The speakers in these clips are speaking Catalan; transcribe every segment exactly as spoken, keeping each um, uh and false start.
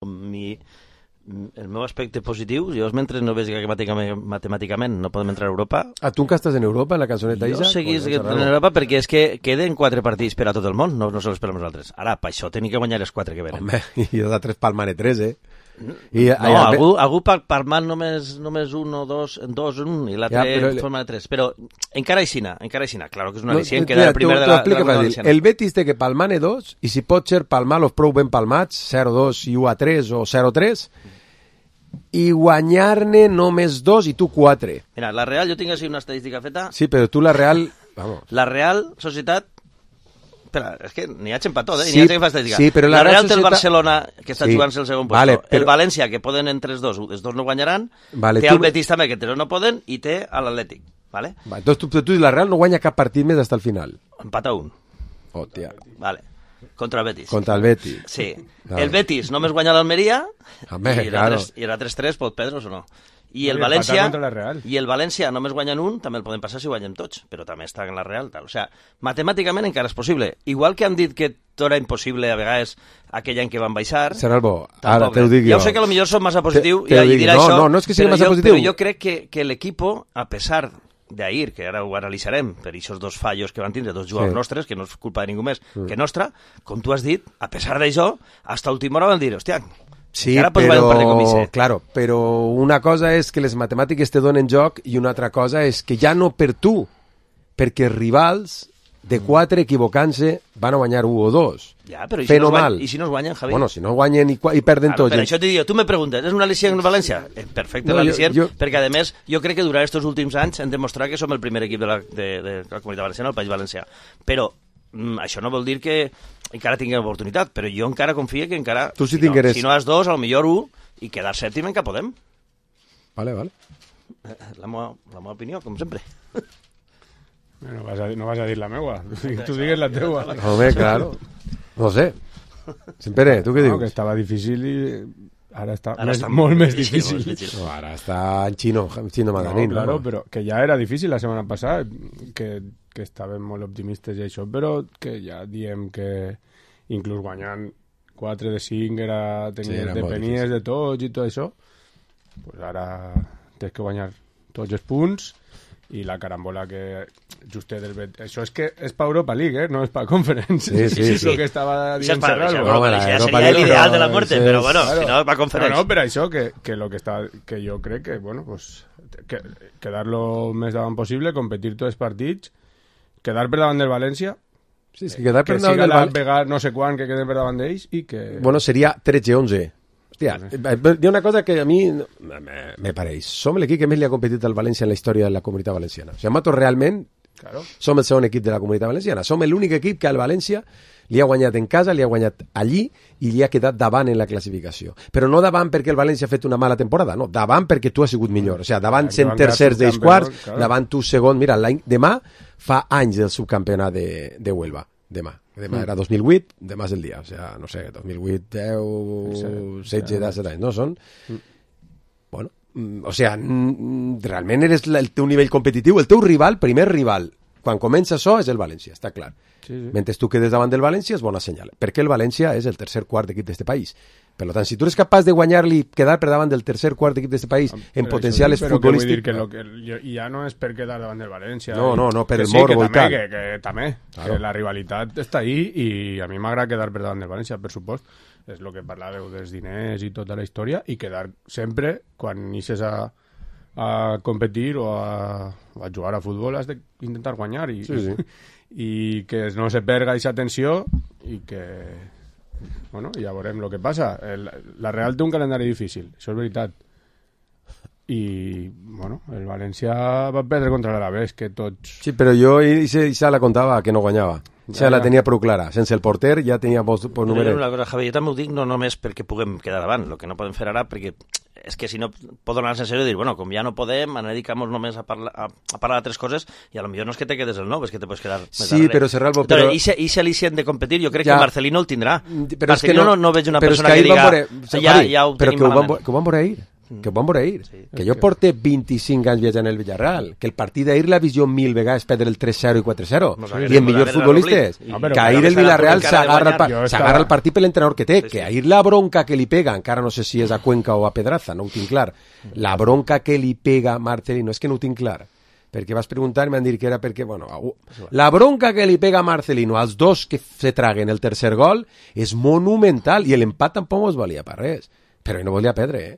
mi, el meu aspecte positiu, jo mentre no veig que matemàticament no podem entrar a Europa... Ah, tu que estàs en Europa, en la cançoneta Isa? Jo seguís en Europa perquè és que queden quatre partits per a tot el món, no, no sols per a nosaltres. Ara, per això tenim que guanyar els quatre que venen. Home, i els altres palmane tres, eh? I, no, allà, algú, algú palmant només, només un o dos, dos un, i l'altre ja, però... palmant tres. Però encara aixina, encara aixina. Claro que és una no, al·licient, queda el primer de la, de la Valenciana. El Betis té que palmane dos, i si pot ser palmar-los prou ben palmats, zero dos i u a tres o zero tres, i guanyar-ne només dos i tu quatre. Mira, la Real, jo tinc així una estadística feta. Sí, però tu la Real... Vamos. La Real Societat... Espera, és que n'hi ha gent per tot, eh? Sí, n'hi ha gent que fa estadística. Sí, però la, la Real Societat... té el Barcelona, que està sí. jugant-se el segon vale, puesto. però... El València, que poden entre els dos, els dos no guanyaran. Vale, té tu... el Betis també, que no poden, i té l'Atlètic. Vale? Va, entonces tu, tu la Real no guanya cap partit més fins al final. Empata un. Hòstia. Vale. Contra el Betis. Contra el Betis. Sí. Vale. El Betis només guanya l'Almeria, i claro. era tres tres, pot perdre's o no. I el, València, I el València només guanyen un, també el podem passar si guanyem tots, però també està en la Real. Tal. O sea, matemàticament encara és possible. Igual que han dit que tot era impossible a vegades aquell any que van baixar... Serà el bo, ara te ho dic jo. Ja ho sé que potser som massa positiu te, te i, i dir no, això, no, no és que sigui massa jo, positiu. Però jo crec que, que l'equipo, a pesar d'ahir, que ara ho analitzarem, per aquests dos fallos que van tindre dos jugadors sí. nostres, que no és culpa de ningú més mm. que nostra, com tu has dit, a pesar d'això, hasta última hora van dir, hòstia... Sí, però, claro, però una cosa és que les matemàtiques te donen joc i una altra cosa és que ja no per tu, perquè rivals de quatre equivocant-se van a guanyar un o dos. Ja, però i si, no guanyen, i si no es guanyen, Javi? Bueno, si no guanyen i, i perden claro, tots. Per això t'hi dic, tu me preguntes, és una al·licient en València? Eh, perfecte, no, l'al·licient, jo, jo... perquè a més jo crec que durant aquests últims anys hem demostrat que som el primer equip de la, de, de la Comunitat Valenciana, el País Valencià. Però mm, això no vol dir que encara tinguem oportunitat, però jo encara confio que encara, tu si, si, no, si no has dos, al millor un, i quedar sèptim encara podem. Vale, vale. La meva, la meva opinió, com sempre. No vas a, no vas a dir la meua, tu digues la teua. Home, claro. No sé. Sempre, tu què dius? No, que estava difícil i ara està, ara més, està molt, molt més difícil. difícil. No, ara està en xino, en xino madanín. No, claro, no? però que ja era difícil la setmana passada, que, que estàvem molt optimistes i això, però que ja diem que inclús guanyant quatre de cinc era, tenia, sí, depenies de tots i tot això, pues ara tens que guanyar tots els punts i la carambola que justet del Bet... Això és que és per Europa League, eh? No és per Conference. Sí, sí, sí. És el que estava dient Serrano. Serrano. No, bueno, això seria l'ideal de la muerte, però bueno, claro. si no és per Conference. No, no, per això que, que, lo que, està, que jo crec que, bueno, pues, que, quedar lo més davant possible, competir tots els partits, quedar per davant del València, sí, és que quedar per que davant siga del la València... pegar no sé quan que queden per davant d'ells i que... Bueno, seria tretze onze. Hòstia, hi ha una cosa que a mi me, me pareix. Som l'equip que més li ha competit al València en la història de la Comunitat Valenciana. O sigui, nosaltres realment claro. som el segon equip de la Comunitat Valenciana. Som l'únic equip que al València li ha guanyat en casa, li ha guanyat allí i li ha quedat davant en la classificació. Però no davant perquè el València ha fet una mala temporada, no, davant perquè tu has sigut millor. O sigui, davant sent tercers dels quarts, claro. davant tu segon. Mira, demà fa anys del subcampionat de, de Huelva. Demà. Demà mm. era dos mil vuit, demà és el dia. O sigui, no sé, dos mil vuit, deu, setze, disset anys, no? Són... Mm. Bueno, o sigui, realment eres el teu nivell competitiu, el teu rival, primer rival, quan comença això és el València, està clar. Sí, sí. Mentre tu quedes davant del València és bona senyal, perquè el València és el tercer quart equip d'este país. Per tant, si tu eres capaç de guanyar-li, quedar per davant del tercer quart equip d'este país en però potencial és però futbolístic... Que vull dir que, lo que jo, ja no és per quedar davant del València. No, no, no, per el sí, morbo i tal. Que, que també, claro. que la rivalitat està ahí i a mi m'agrada quedar per davant del València, per supost. És el que parlàveu dels diners i tota la història i quedar sempre, quan inicies a, a competir o a, a jugar a futbol, has d'intentar guanyar i, sí, sí. i que no se perga aquesta tensió i que... Bueno, ja veurem el que passa. El, la Real té un calendari difícil, això és veritat. I, bueno, el València va perdre contra l'Alavés, que tots... Sí, però jo ja la contava que no guanyava. Ja, ja la tenia prou clara. Sense el porter ja tenia pocs números. Una cosa, Javi, jo també ho dic no només perquè puguem quedar davant, el que no podem fer ara, perquè és que si no pot donar-se en sèrio i dir, bueno, com ja no podem, ens dedicamos només a parlar, a, a parlar d'altres coses i a lo millor no és que te quedes el nou, és que te pots quedar més sí, darrere. Però Serralbo... Però... I si al·licient de competir, jo crec ja. que Marcelino el tindrà. Però Marcelino no, no, no veig una persona que, que diga... Veure, ja, ja ho però tenim que ho, malament. van, que ho van veure ahir. que ho vam veure ahir. Sí. Que jo porte vint-i-cinc anys viatjant al Villarreal, que el partit d'ahir l'ha vist jo mil vegades perdre el tres zero i quatre zero, no, i els millors futbolistes, no, que ahir el Villarreal s'agarra el, s'agarra el partit per l'entrenador que té, sí, sí. Que ahir la bronca que li pega, encara no sé si és a Cuenca o a Pedraza, no ho tinc clar, la bronca que li pega Marcelino, és que no ho tinc clar, perquè vas preguntar i m'han dit que era perquè, bueno, la bronca que li pega Marcelino als dos que se traguen el tercer gol és monumental, i l'empat tampoc es valia per res, però no volia perdre, eh?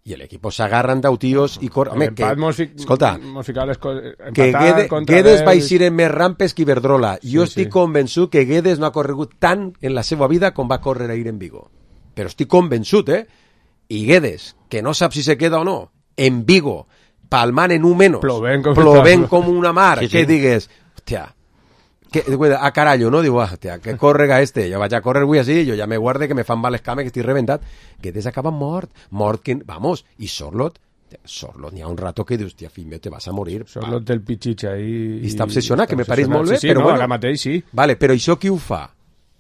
I l'equip s'agarren d'utios i cor... Home, que, fi... escolta, cos... que Guedes, Guedes va eixir en més rampes que Iberdrola. Sí, jo estic sí. convençut que Guedes no ha corregut tant en la seva vida com va córrer ahir en Vigo. Però estic convençut, eh? I Guedes, que no sap si se queda o no, en Vigo, palmant en un menys, plovent com, plovent com una mar, sí, sí. Que digues, hòstia, que, a carallo, no? Diu, ah, tia, que córrega este, jo vaig a córrer avui així, jo ja me guarde que me fan mal les cames, que estic reventat, que des acaba mort, mort que, vamos, i Sorlot, Sorlot, n'hi ha un rato que dius, tia, fill meu, te vas a morir. Sorlot del pitxitxa i... I està obsessionat, que me pareix molt bé, sí, sí, però no, bueno. Ara mateix, sí. Vale, però això qui ho fa?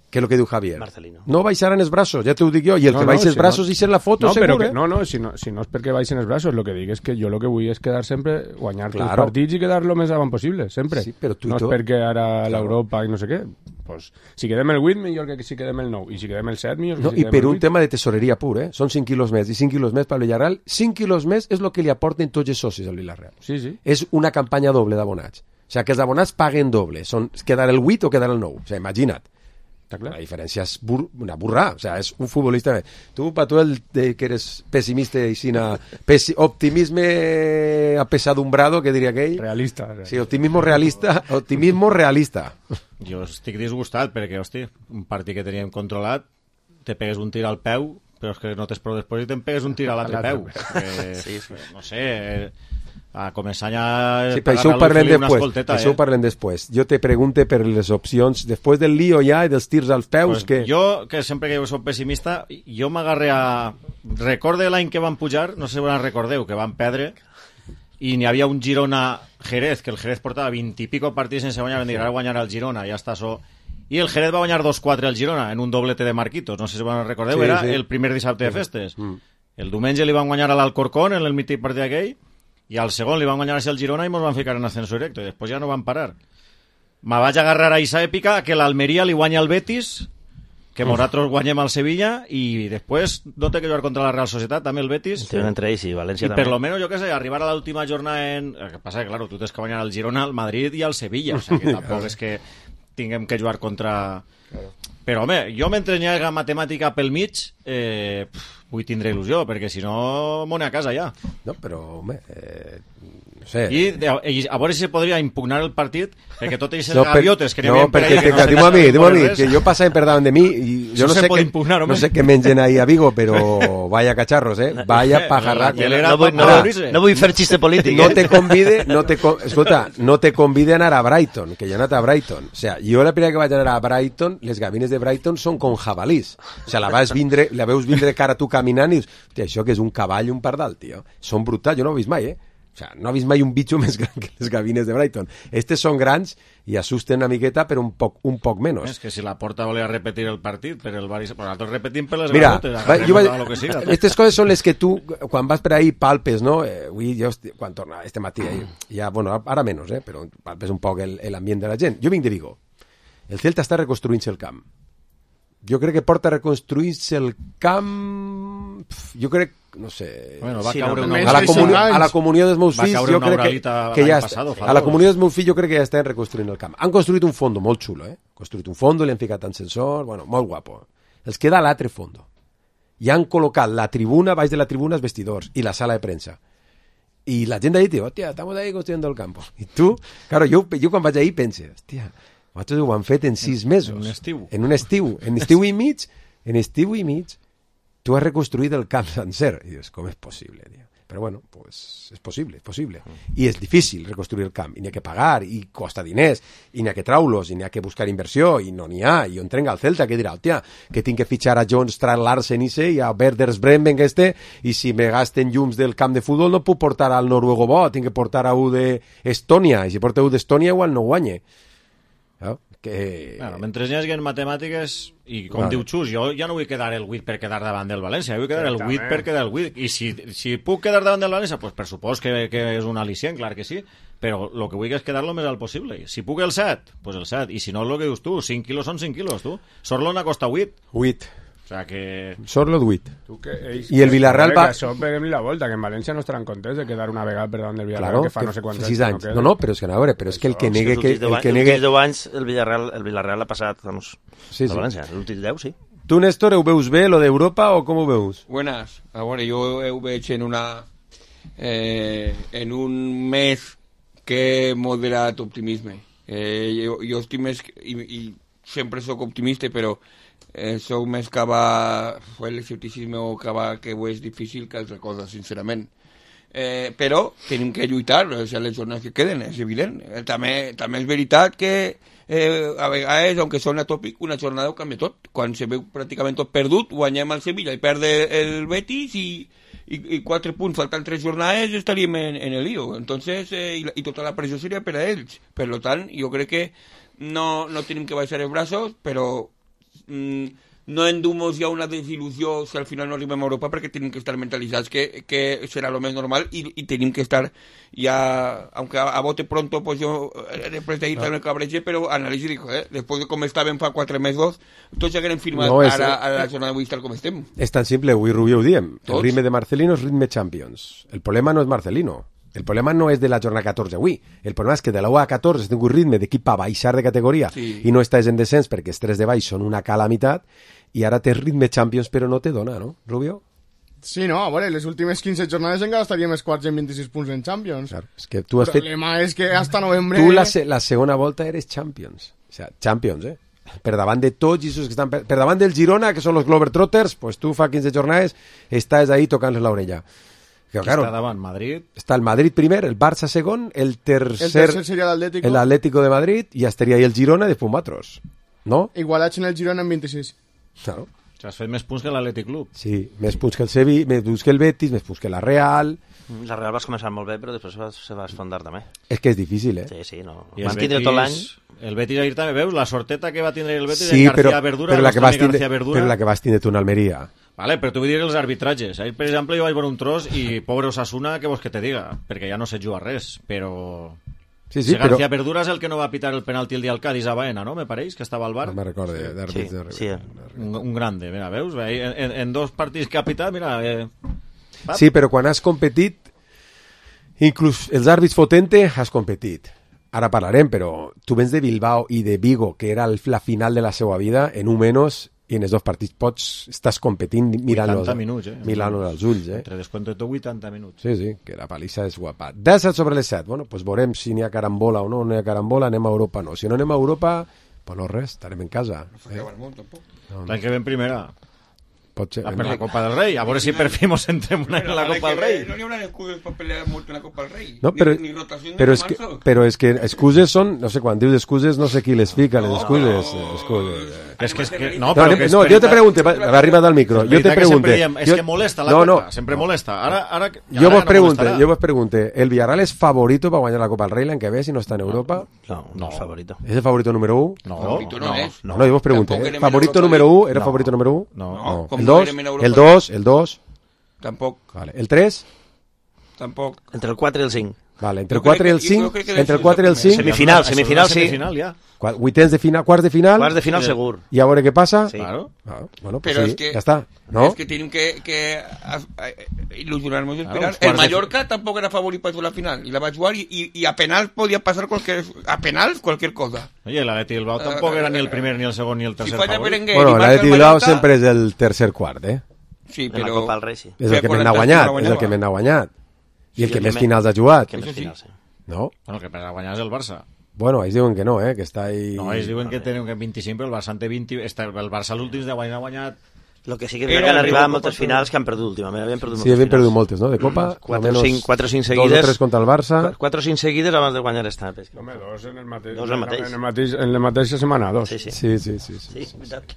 Que és el que diu Javier. Marcelino. No baixaran els braços, ja t'ho dic jo, i el no, que no, baixa els si braços no, i ser la foto, no, segur, que, eh? No, no, si no, si no és perquè baixen els braços, el que dic és que jo el que vull és quedar sempre, guanyar claro. Els partits i quedar lo més avant possible, sempre. Sí, però tu no i tu... és perquè ara claro. l'Europa i no sé què. Pues, si quedem el vuit, millor que si quedem el nou. I si quedem el set, millor que no, si quedem el vuit. I per un el tema de tesoreria pur, eh? Són cinc quilos més, i cinc quilos més per Villarreal. cinc quilos més és el que li aporten tots els socis al Villarreal. Sí, sí. És una campanya doble d'abonats. O sigui, que els abonats paguen doble. Són quedar el vuit o quedar el nou. O sigui, imagina't. La diferència és bur una burra, o sea, és un futbolista. Tu, pa tu, el de, que eres pessimista i sin pesi optimisme apesadumbrado, que diria aquell. Realista, realista. Sí, optimismo realista, optimismo realista. Jo estic disgustat perquè, hosti, un partit que teníem controlat, te pegues un tir al peu, però és que no tens prou després i te'n pegues un tir a l'altre peu. Eh, sí, sí. No sé... a començar ja sí, per això ho parlem després, escolteta, per això ho parlem després. Jo te pregunte per les opcions després del lío ja i dels tirs als peus, pues que... Jo, que sempre que soc pessimista, jo m'agarré a... Recorde l'any que van pujar, no sé si vos recordeu, que van perdre, i n'hi havia un Girona-Jerez, que el Jerez portava vint i pico partits sense guanyar, van dir, ara guanyarà el Girona, ja està so... I el Jerez va guanyar dos quatre al Girona, en un doblete de Marquitos, no sé si vos recordeu, sí, era sí. El primer dissabte de festes. Mm. El diumenge li van guanyar a l'Alcorcón, en el mític partit aquell, i al segon li van guanyar així al Girona i ens van ficar en ascenso directo, i després ja no van parar. Me vaig agarrar a aquesta èpica que l'Almeria li guanya al Betis, que nosaltres guanyem al Sevilla, i després no té que jugar contra la Real Societat, també el Betis. Tenen entre ells i València I també. per lo menos, jo què sé, arribar a l'última jornada en... El que passa que, claro, tu tens que guanyar al Girona, al Madrid i al Sevilla, o sigui que tampoc és que tinguem que jugar contra... Claro. Però, home, jo mentre n'hi ha matemàtica pel mig, eh, pff, vull tindre il·lusió, perquè si no, m'ho a casa ja. No, però, home, eh, no sé... I, I a veure si se podria impugnar el partit, perquè tot aquestes no, gaviotes que n'hi no, havia per ahí... No, perquè, diu a mi, diu a mi, que jo passava per davant de mi, i jo no sé, que, impugnar, no sé què mengen ahí a Vigo, però vaya cacharros, eh? Vaya pajarraco. No, vull, no, no vull fer xiste polític, no te convide, no te, escolta, no te convide a anar a Brighton, que jo he anat a Brighton. O sea, jo la primera que vaig anar a Brighton, les gavines de Brighton són con jabalís. O sea, la vas vindre, la veus vindre cara tu caminant i dius, hòstia, això que és un cavall i un pardal, tio. Són brutals, jo no ho he vist mai, eh? O sea, no ha vist mai un bitxo més gran que les gavines de Brighton. Estes són grans i assusten una miqueta, però un poc, un poc menys. És que si la Porta volia repetir el partit, per el Barça, però nosaltres repetim per les Mira, gavotes, va, jo vaig, lo que siga. Aquestes coses són les que tu, quan vas per ahí, palpes, no? Eh, avui, jo, quan torna este matí, eh, ja, bueno, ara menys, eh, però palpes un poc l'ambient de la gent. Jo vinc de Vigo. El Celta està reconstruint-se el camp. Jo crec que porta a reconstruir-se el camp... Jo crec, no sé... Bueno, va sí, caure no, una... a, la comunió, a la comunió dels meus fills, jo crec que, que ja passado, a la comunió dels meus fills jo crec que ja estan reconstruint el camp. Han construït un fondo molt xulo, eh? Han construït un fondo, li han ficat ascensor, bueno, molt guapo. Els queda l'altre fondo. I han col·locat la tribuna, baix de la tribuna, els vestidors i la sala de premsa. I la gent d'ahí diu, hòstia, estamos ahí construyendo el campo. I tu, claro, jo, jo quan vaig ahí pense, hòstia, vosaltres ho han fet en sis mesos. En un estiu. En un estiu. En estiu i mig, en estiu i mig, tu has reconstruït el camp sencer. I dius, com és possible, tio? Però bueno, pues és possible, és possible. I és difícil reconstruir el camp, i n'hi ha que pagar, i costa diners, i n'hi ha que traulos, i n'hi ha que buscar inversió, i no n'hi ha, i on trenga el Celta, que dirà, hòstia, que tinc que fitxar a John Strand Larsen i sé, i a Werders Bremen este, i si me gasten llums del camp de futbol no puc portar al noruego bo, tinc que portar a u d'Estònia, i si porta u d'Estònia igual no guanye. No? que... Bueno, mentre hi hagi matemàtiques, i com vale. diu Xus, jo ja no vull quedar el vuit per quedar davant del València, vull quedar el vuit per quedar el vuit, i si, si puc quedar davant del València, pues per supòs que, que és un al·licient, clar que sí, però el que vull és quedar lo més alt possible. Si puc el set, pues el set, i si no el que dius tu, cinc quilos són cinc quilos, tu. Sorlona costa vuit. vuit. O sea que... Sorlo vuit. Ells, I el Villarreal va... Això peguem-li la volta, que en València no estaran contents de quedar una vegada per davant del Villarreal, claro, que fa que no sé quants anys. anys. No, no, però és que a veure, però és que el que negue... negue... Que, el que negue... Els deu anys el Villarreal, el Villarreal ha passat, vamos, sí, sí. a València. L'últim deu, sí. Tu, Néstor, ho veus bé, lo d'Europa, o com ho veus? Buenas. A veure, jo ho veig en una... Eh, en un mes que moderat optimisme. Eh, jo, jo estic més... I, i sempre sóc optimista, però... Eh, sóc més que va fer l'escepticisme o que va que ho és difícil que altra cosa, sincerament. Eh, però tenim que lluitar, o sigui, les jornades que queden, és evident. Eh, també, també és veritat que eh, a vegades, aunque sona tòpic, una jornada ho canvia tot. Quan se veu pràcticament tot perdut, guanyem el Sevilla i perde el Betis i, i, i quatre punts, faltant tres jornades, estaríem en, en el lío. Entonces, eh, i, i tota la pressió seria per a ells. Per tant, jo crec que no, no tenim que baixar els braços, però no endumos ja una desilusió si al final no arribem a Europa, perquè tenim que estar mentalitzats que, que serà lo més normal i, i tenim que estar ja, aunque a, a bote pronto, pues yo després d'ahir també cabrege, però analitzi dic, eh, després de com estàvem fa quatre mesos, tots ja haguem firmat no, és, ara a la jornada d'avui tal com estem. És tan simple, avui Rubio ho diem, el ritme de Marcelino és ritme Champions, el problema no és Marcelino. El problema no és de la jornada catorze avui. El problema és que de la u a catorze has tingut ritme d'equip a baixar de categoria sí. i no estàs en descens perquè els tres de baix són una calamitat i ara tens ritme Champions però no te dona, no, Rubio? Sí, no, a veure, les últimes quinze jornades encara estaríem els quarts en vint-i-sis punts en Champions. Claro, és que tu has el problema fet... és que hasta novembre... Tu la, se la segona volta eres Champions. O sea, Champions, eh? Per davant de tots i que estan per, per davant del Girona, que són los Globetrotters, pues tu fa quinze jornades estàs ahí tocant-les l'orella. Que, claro, està davant Madrid. Està el Madrid primer, el Barça segon, el tercer, el tercer seria l'Atlético. El Atlético de Madrid i estaria ahí el Girona i després nosaltres, no? Igualats en el Girona en vint-i-sis. Claro. O sigui, has fet més punts que l'Atlètic Club. Sí, més punts que el Sevilla, més punts que el Betis, més punts que la Real. La Real vas començar molt bé, però després se va, se va esfondar també. És que és difícil, eh? Sí, sí, no. I van tindre tot l'any. El Betis ahir també, veus? La sorteta que va tindre el Betis sí, en García però, Verdura. Però la que vas tindre, Verdura. però la que vas tindre tu en Almeria. Vale, però tu vull dir els arbitratges. Ahir, per exemple, jo vaig veure un tros i pobre Osasuna, què vols que te diga? Perquè ja no se juga res, però... Sí, sí, si García però... Verdura és el que no va pitar el penalti el dia al Cádiz a Baena, no? Me pareix, que estava al bar. No me recorde, d'àrbits sí, de sí, eh. un, un grande, mira, veus? En, en, en dos partits que ha pitat, mira... Eh... Sí, però quan has competit, inclús els àrbits fotente, has competit. Ara parlarem, però tu vens de Bilbao i de Vigo, que era la final de la seva vida, en un menys, i en els dos partits pots, estàs competint mirant-los minuts, eh? mirant als ulls, eh? Entre descompte tot vuitanta minuts. Sí, sí, que la palissa és guapa. disset sobre les set, bueno, pues veurem si n'hi ha carambola o no, no hi ha carambola, anem a Europa no. Si no anem a Europa, pues no res, estarem en casa. Eh? No, L'any que ve en primera. Pot ser. Ah, per la Copa del Rei, a veure si per fi mos entrem una en la Copa del Rei. No n'hi haurà excuses per pelear molt en la Copa del Rei. No, però, ni, ni rotació però, ni és que, però és que excuses són, no sé, quan dius excuses no sé qui les fica, les excuses. No, excuses. És que, és que, no, no, però no, que no jo te pregunte, va, va arribar del micro, jo te pregunte. Diem, és jo, que molesta la no, Copa, no, sempre molesta. Ara, ara, jo ara vos no pregunte, molestarà. jo vos pregunte, ¿el Villarreal és favorito para guanyar la Copa del Rei l'any que ve si no està en Europa? No, no és favorito. ¿Es el favorito número uno? No, favorito no, no, és. No, no, yo vos pregunte, Tampoc ¿eh? ¿Favorito número uno? ¿Era no. favorito número uno? No, no. El dos, el dos, el dos. Tampoc. Vale. El tres? Tampoc. Entre el quatre i el cinc. Vale, entre el Jo crec quatre i el que- jo cinc, crec que entre el és quatre i el el cinc, Semifinal, Això és semifinal, una sí. Semifinal, ja. Qua- vuitens de final, quarts de final, Quarts de final segur. i a veure què passa. Sí. Claro. Ah, bueno, pues Però sí, és que, ja està, no? és que tenim que, que a, a, il·lusionar-nos i Claro, esperar. els El quarts de- Mallorca tampoc era favorit per la final, i la vaig jugar, i, i, i a penals podia passar qualser, a penals qualquer cosa. Oye, el Atleti Bilbao tampoc era ni el primer, ni el segon, ni el Si tercer falla favorit. Berenguer Bueno, i marca l'Atleti el Bilbao Mallorca, sempre és el tercer quart, eh? sí, En la però... Copa del Rei, sí. És el que Però més n'ha quan guanyat, l'Atleti és el que guanyava. més n'ha guanyat. I el Sí, que el més que finals ha jugat, Que més Això sí. final, sí. no? Bueno, que per a guanyar és el Barça. Bueno, ells diuen que no, eh? Que està ahí... No, ells diuen que tenen que vint-i-cinc, però el Barça en té vint. Està, el Barça l'últims de guanyar ha guanyat... Lo que sí que Era crec que han el arribat a Copa moltes Copa finals que han perdut últimament. Havien perdut Sí, moltes havien finals. perdut moltes, no? De Copa, Quatre o almenys cinc, quatre o cinc dos seguides. o tres contra el Barça. Qu- Quatre o cinc seguides abans de guanyar esta. Home, dos en el mateix. Dos en el mateix. En, el mateix, en la mateixa setmana, dos. Sí, sí. Sí, sí, sí. sí, Sí, sí. veritat.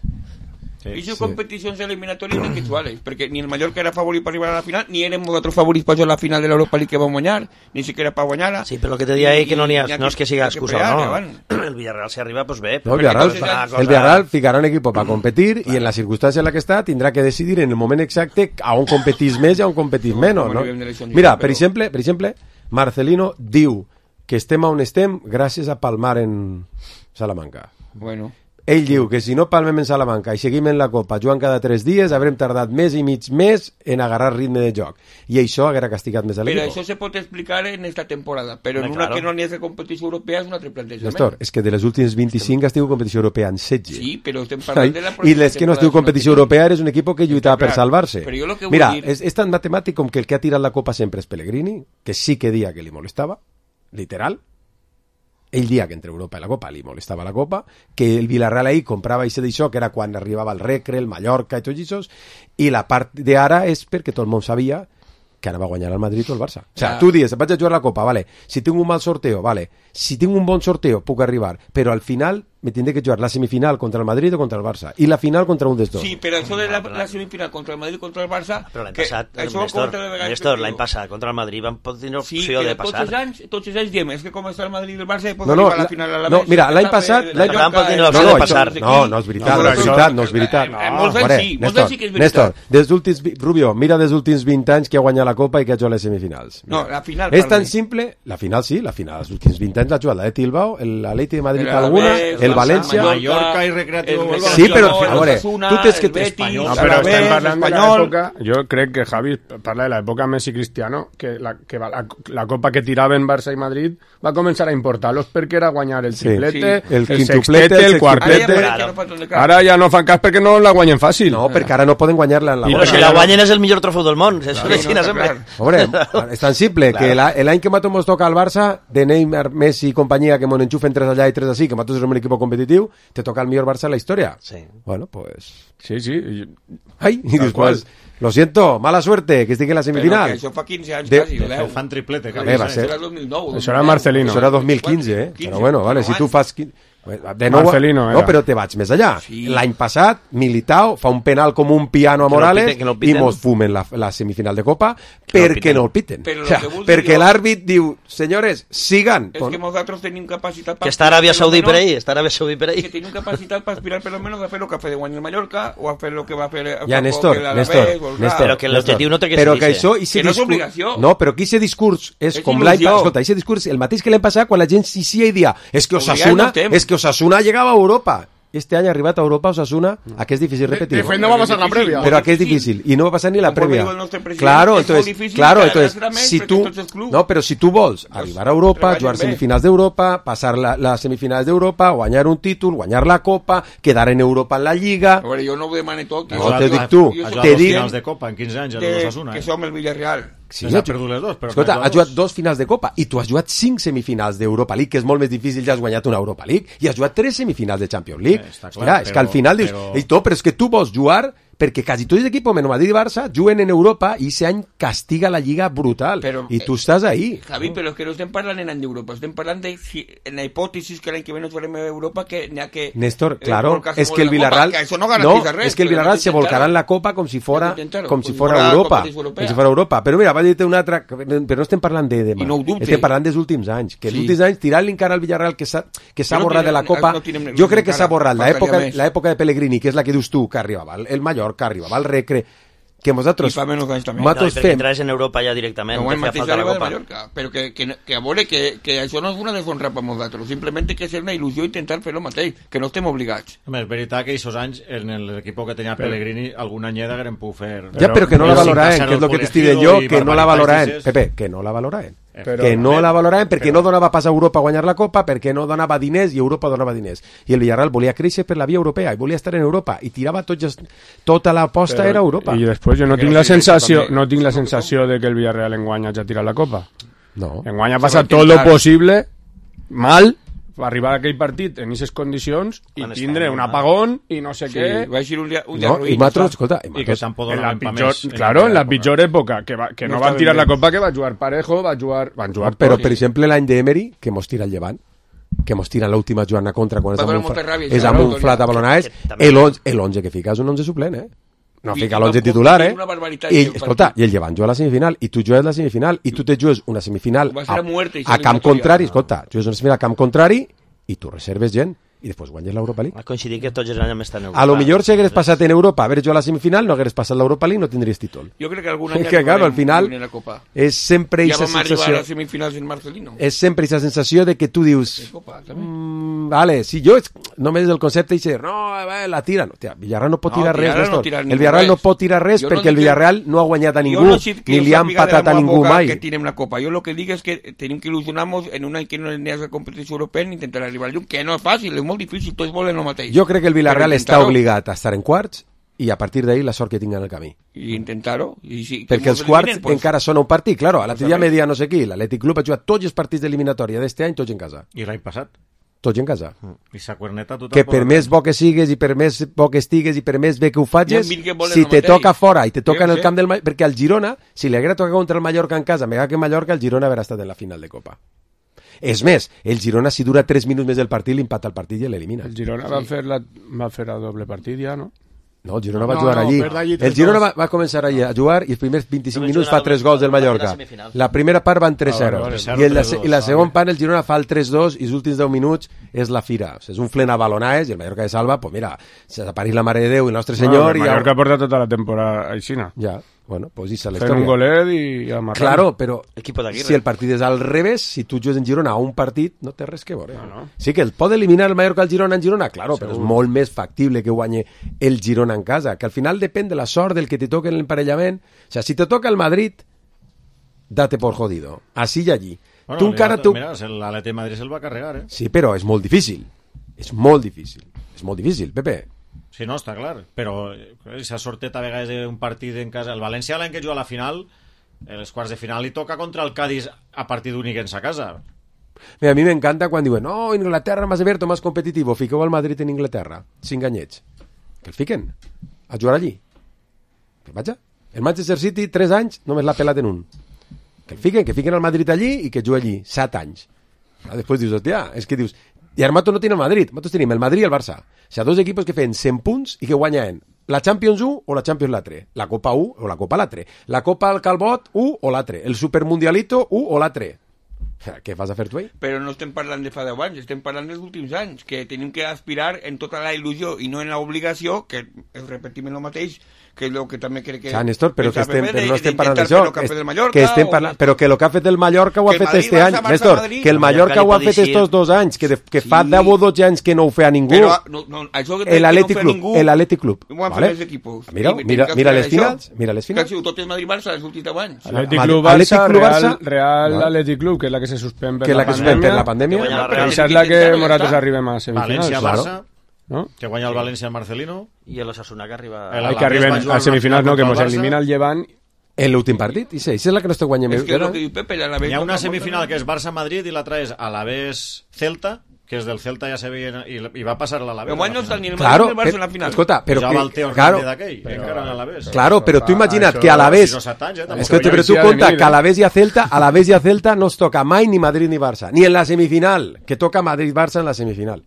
Sí, I les sí. competicions eliminatòries ni casuales, perquè ni el Mallorca era favorit per arribar a la final, ni érem nosaltres favorits per jugar a la final de l'Europa League que vam guanyar, ni siquiera per guanyar-la. Sí, però el que te deia ell que no, ha, no és que siga excusa, no. El Villarreal si arriba, pues bé. No, el Villarreal, cosa... el Villarreal ficarà un equip per competir mm, i en la circumstància en la que està tindrà que decidir en el moment exacte a on competís més i a on competís menys, no? Mira, per exemple, per exemple, Marcelino diu que estem on estem gràcies a palmar en Salamanca. Bueno... Ell diu que si no palmem en Salamanca i seguim en la Copa jugant cada tres dies haurem tardat més i mig més en agarrar ritme de joc i això haguera castigat més a l'equip. Però això se pot explicar en esta temporada, però en una claro. que no n'hi ha de competició europea és un altre plantejament. Néstor, és que de les últimes vint-i-cinc has tingut competició europea en setze. Sí, però estem parlant de la I les que no has tingut competició europea eres un equip que lluitava per salvar-se. Mira, dir... és, és tan matemàtic com que el que ha tirat la Copa sempre és Pellegrini, que sí que dia que li molestava, literal, ell dia que entre Europa i la Copa li molestava la Copa, que el Villarreal ahí comprava això d'això, que era quan arribava el Recre, el Mallorca i tots això, i la part d'ara és perquè tot el món sabia que anava a guanyar el Madrid o el Barça. O sigui, ja. Tu dius, vaig a jugar la Copa, vale, si tinc un mal sorteo, vale, si tinc un bon sorteo puc arribar, però al final me tindré que jugar la semifinal contra el Madrid o contra el Barça, i la final contra un dels dos. Sí, però això de la, la semifinal contra el Madrid o contra el Barça... Però l'any passat, Néstor, Néstor, l'any passat, contra el Madrid vam tenir opció sí, de passar. Sí, tots els anys, tots els anys diem, és que com està el Madrid i el Barça pot no, no, arribar a la final a la no, mira, l'any passat... L'any passat pot tenir l'opció de passar. No, no és veritat, no és veritat, no és veritat. Molts anys sí, molts anys sí que és veritat. Néstor, des últims, Rubio, mira des últims vint anys que ha guanyat la Copa i que ha jugat les semifinals. No, la final... És tan simple, la final sí, la final dels últims vint anys l'ha jugat la de Tilbao, l'Atleti de Madrid alguna, el València... Mallorca i Recreativo. Sí, però a veure, tu tens que... No, però estem parlant de l'època... Jo crec que Javi parla de l'època Messi-Cristiano, que, la, que la, la Copa que tiraven Barça i Madrid va començar a importar-los perquè era guanyar el triplete, sí, sí. el, el sextete, el quartete... Ara ja no fan cas perquè no la guanyen fàcil. No, perquè ara no poden guanyar-la en la Però si la guanyen és el millor trofeu del món. Això és Xina sempre. Hombre, és tan simple que l'any que nosaltres ens toca al Barça, de Neymar, Messi i companyia, que m'on enxufen tres allà i tres així, que nosaltres som un equip competitiu, te toca el millor Barça en la història. Sí. Bueno, pues... Sí, sí. Ai, i després... Lo siento, mala suerte, que estic en la semifinal. Però que això fa quinze anys de, quasi, de, de, fan triplete. Bé, va ser. Això era dos mil nou. Això era Marcelino. Això era dos mil quinze, eh? Però bueno, vale, si tu fas... De nou, Marcelino, no, però te vaig més allà. Sí. L'any passat, Militao fa un penal com un piano a Morales que no piten, que no i mos fumen la, la semifinal de Copa que perquè no el piten. Però o sea, perquè l'àrbit diu, senyores, sigan. És que nosaltres tenim capacitat... Que està Aràbia Saudí per ahí, està Aràbia Saudí per ahí. Que tenim capacitat per aspirar per almenys a fer el que ha fet de guanyar el Mallorca o a fer el que va fer... Ja, Néstor, Néstor, Néstor. Però que l'objectiu no té que ser que això, que no és obligació. No, però que aquest discurs és com l'any passat. Escolta, aquest discurs el mateix que l'any passat quan la gent s'hi i dia és que Osasuna, és que Osasuna llegava a Europa. Este any ha arribat a Europa Osasuna, a que és difícil repetir. De fet no va passar la prèvia. Però a que és difícil i no va passar ni la prèvia. Claro, entonces, claro, entonces, si tu no, però si tu vols arribar a Europa, jugar semifinals d'Europa, passar la, les semifinals d'Europa, guanyar un títol, guanyar la Copa, quedar en Europa en la Lliga. A veure, jo no ho demane tot. No te dic tu, te dic finals de Copa en quinze anys a l'Osasuna. Que som el Villarreal. Sí, ha perdut les dos, però escolta, has jugat dos finals de Copa i tu has jugat cinc semifinals d'Europa League, que és molt més difícil, ja has guanyat una Europa League, i has jugat tres semifinals de Champions League. Eh, clar, Hòstia, és que al final dius, però... To, però és que tu vols jugar perquè quasi tots els equips, menys Madrid i Barça, juguen en Europa i aquest any castiga la Lliga brutal. Però, I tu eh, estàs ahí. Javi, no? Però és que no estem parlant en any d'Europa, estem parlant de, si, en la hipòtesis que l'any que ve no farem a Europa, que n'hi ha que... Néstor, claro, es que el Villarreal... Que no, no res, es que el Villarreal se volcará en la Copa com si fora, com si fora Europa. Com si fora Europa. Però mira, va dir-te una altra... Però no estem parlant de demà. No estem parlant dels últims anys. Que els sí. últims anys, tirant-li encara al Villarreal que s'ha no borrat de la Copa... No tinem, jo crec que s'ha borrat l'època de Pellegrini, que és la que dius tu, que arribava el Mallorca, arribava el Recre, que nosaltres fem... No, perquè entres en Europa ja directament, no te fa falta la Copa. Mallorca, però que, que, que a veure que, que això no és una deshonra per nosaltres, simplement que és una il·lusió intentar fer el mateix, que no estem obligats. Home, és veritat que aquests anys en l'equip que tenia però... Pellegrini alguna anyeda haguem pogut fer... Ja, però que no la valoraven, que és el que t'estic dient jo, que no la valoraven, Pepe, que no la valoraven. Però, que no la valoraven perquè però... no donava pas a Europa a guanyar la Copa, perquè no donava diners i Europa donava diners, i el Villarreal volia créixer per la via europea i volia estar en Europa i tirava tots, tota l'aposta era Europa. I després jo no tinc la sensació no tinc la sensació de que el Villarreal enguany hagi tirat la Copa. No. Enguany ha passat tot lo possible mal arribar a aquell partit en aquestes condicions i tindre un apagón i no sé sí, què. Va ser un dia, un dia no, ruïn. I matros, escolta, i, i que tampoc en la pitjor, més, claro, en la pitjor època, que, va, que no, no van tirar la Copa, que va jugar Parejo, va jugar, van jugar no, però, per exemple, l'any d'Emery, que mos tira el Llevant, que mos tiren l'última jugada contra quan és amb un, molta ràbia, és això, amb no, un Toni. flat a Balonades, l'onze que fica és un onze suplent, eh? No fica l'onze titular, eh? Una barbaritat. I, escolta, i el Llevant juga a la semifinal, i tu jugues la semifinal, i tu te jugues una semifinal Va ser a, a muerte i a se camp eliminatòria. contrari, escolta, jugues una semifinal a camp contrari, i tu reserves gent, i després guanyes l'Europa League. Va coincidir que tots els anys hem estat en Europa. A lo millor si hagués passat en Europa, haver jugat a la semifinal, no hagués passat l'Europa League, no tindries títol. Jo crec que algun any Que, claro, al final, la Copa. és sempre Ja aquesta vam arribar a sensació... les semifinals en Marcelino. És sempre aquesta sensació de que tu dius... Copa, també. Mm, vale, si jo només el concepte dice, no, eh, la tira, no, tia, Villarreal no pot No, tirar res, Villarreal no Néstor. tira el ningú Villarreal res. no pot tirar res Jo no perquè el dic que- Villarreal no ha guanyat a ningú, Jo no dic que ni us li han sàpiga de la patat a meua ningú boca mai. que tenim la Copa. Jo lo que dic és que tenim que il·lusionar-nos en un any que no n'hi ha competició europea ni intentar arribar al llum, que no és fàcil, és molt difícil, tots volen el mateix. Jo crec que el Villarreal Però està intentar-ho. obligat a estar en quarts i a partir d'ahir la sort que tinga en el camí. I intentar-ho. I si, que Perquè mos els quarts eliminen, pues, encara són un partit, claro, a l'altre dia també. media no sé qui, l'Atlètic Club ha jugat tots els partits d'eliminatòria d'este any, tots en casa. I l'any passat. Tots en casa. I sa cuerneta tothom... Que per més bo que sigues i per més bo que estigues i per més bé que ho facis, Hi ha mil que volen si el te mateix. toca fora i te toca Jo en el sé. camp del Mallorca, perquè al Girona, si li haguera tocat contra el Mallorca en casa, mega que Mallorca, el Girona haurà estat en la final de Copa. És més, el Girona si dura tres minuts més del partit, l'empata el partit i l'elimina. El Girona va fer la, va fer el doble partit ja, no? No, el Girona va No, jugar no, allí. perd allí El tres Girona dos. va, va començar allí a jugar i els primers vint-i-cinc Només minuts jugarà fa tres el- gols del el partit de la Mallorca. semifinal. La primera part van tres zero. Ah, vale, I, en la, tres dos, I la segona vale. part el Girona fa el tres dos i els últims deu minuts és la fira. O sigui, és un flen a balonaes i el Mallorca de salva, pues mira, se desapareix la Mare de Déu i el nostre Senyor. Bueno, el i Mallorca porta tota la temporada aixina. ja, bueno, pues esa la Fent un història. golet i amarrant. Claro, però Equipo d'Aguirre. si el partit és al revés, si tu jugues en Girona a un partit, no té res que veure. No, no. Sí que el pot eliminar el Mallorca al Girona en Girona, claro, però és molt més factible que guanyi el Girona en casa, que al final depèn de la sort del que te toque en l'emparellament. O sea, si te toca el Madrid, date por jodido. Así y allí. Bueno, tu encara... mira, Tu... mira, l'Atleti de Madrid se'l va carregar, eh? Sí, però és molt difícil. És molt difícil. És molt difícil, Pepe. Sí, no, està clar. Però s'ha sortit a vegades d'un partit en casa. El València l'any que juga a la final, en els quarts de final, li toca contra el Cádiz a partit únic en sa casa. Mira, a mi m'encanta quan diuen no, Inglaterra más abierto, más competitivo, fiqueu al Madrid en Inglaterra, sin ganyets. Que el fiquen a jugar allí. Que vaja. El Manchester City, tres anys, només l'ha pelat en un. Que el fiquen, que fiquen al Madrid allí i que juga allí, set anys. Ah, després dius, hòstia, és que dius, i ara nosaltres no tenim el Madrid, nosaltres tenim el Madrid i el Barça. O sigui, dos equipos que feien cent punts i que guanyen la Champions u o la Champions l'altre, la Copa u o la Copa l'altre, la Copa al Calbot u o l'altre, el Supermundialito u o l'altre. Què vas a fer tu ahí? Però no estem parlant de fa deu anys, estem parlant dels últims anys, que tenim que aspirar en tota la il·lusió i no en l'obligació, que repetim el mateix, que és el que també crec que... O sea, Néstor, però, que estem, de, però no estem de parlant intentar d'això, fer el que ha fet el que, Mallorca, que estem o- parlant, però que el que ha fet el Mallorca ho ha Que el fet Madrid, este any, Barça, Barça, Néstor, Madrid. que el El Mallorca Mallorca ho ha li fet pot dir- estos dos anys, que, de, que Sí. fa deu o dotze anys que no ho feia ningú, Però, no, no, això que el no Atlètic fa Club, ningú, el Atlètic Club, ho han fet vale? els equipos. Mira, I tenim mira, que mira aspirar les a això. finals, mira les Que ha finals. sigut tot el Madrid-Barça els últims anys. Atlètic Madrid- Club Barça, Atlètic Club Real, Barça, Real no. Atlètic Club, que és la que se suspèn per Que la la que pandèmia. suspèn per la pandèmia. Que guanya la Però Real. Això és la que intentar-ho, ja nosaltres està. arribem a semifinals. València-Barça, No? que guanya el València al Marcelino. I l'Osasuna que arriba... El Ai, Alavés que arriben va jugar a semifinals, no, que contra mos el Barça. elimina el Llevant. En l'últim partit, i sí, és la que no està guanyant És més. que és el que diu Pepe, la Hi ha una semifinal que és Barça-Madrid i l'altra és Alavés-Celta, que és del Celta ja se veia i, i va passar a l'Alavés. Però no està ni el Madrid Claro, ni el Barça eh, en la final. escolta, però Jugava el que, Teo claro, Hernández d'aquell, encara en l'Alavés. claro, però tu imagina't això- que a la vez, sis o set anys, eh, tampoc. escolta, però tu Això ja compta venir, que a eh? la vez i a Celta, a la vez i a Celta no es toca mai ni Madrid ni Barça, ni en la semifinal, que toca Madrid-Barça en la semifinal.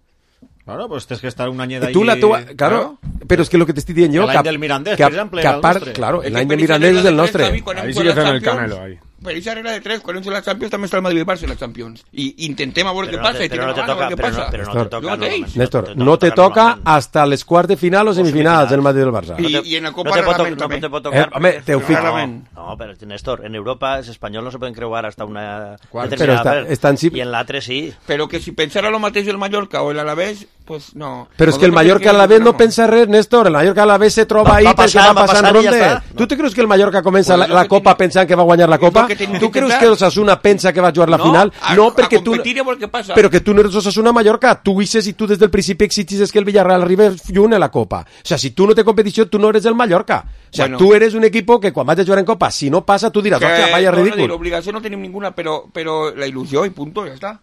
Bueno, pues tens que estar un any Y d'allí... tú la tua- claro, pero es que lo que te estoy diciendo yo, El que, any del Mirandés, que, per exemple, que era el apart- nostre. claro, Es el que año de per esa Mirandés regla es el de tres, nostre. Xavi, quan hem Ahí sí jugat que a fem el Champions, Canelo, ahí. Per aquesta regla de tres, quan hem jugat a la Champions també està el Madrid i el Barça en la Champions. I intentem a veure què Però no passa, te- i però no tirem te endavant a toca, veure què però no, passa. però no te Néstor, toca jo mateix. normalment. Néstor, No no te toca normalment. hasta les quarts de final o semifinals del Madrid i del Barça. I- i en la Copa no te pot, rarament, to- també. no te pot Eh, tocar home, perquè- te ho fico. Rarament. No, no, però Néstor, en Europa els espanyols no se poden creuar hasta una Però determinada està- estan sí- i en l'altre sí. Però que si pensara lo mateix el Mallorca o el Alavés, pues no. Pero es que el Nosotros Mallorca a la vez no tenemos- pensa res, Néstor. El Mallorca a la vez se troba Va- ahí va perquè passant, va va passant passant i ja rondes. està. ¿Tú te crees que el Mallorca comença Pues la, es lo la que Copa tiene- pensant que va a guanyar la es lo Copa? que tiene que ¿Tú crees intentar. que Osasuna pensa que va a jugar la No, final? a- no, a perquè tu... competir i a veure què passa. Però que tu no eres Osasuna Mallorca. Tu dices i tu des del principi exigis que el Villarreal arribi lluny a la Copa. O sea, si tu no té competició, tu no eres el Mallorca. O sea, Bueno. tu eres un equipo que quan vas a jugar en Copa, si no passa, tu diràs, Que, hòstia, vaya no, no, ridícul. L'obligació no tenim ninguna, però, però la il·lusió i punto, ja està.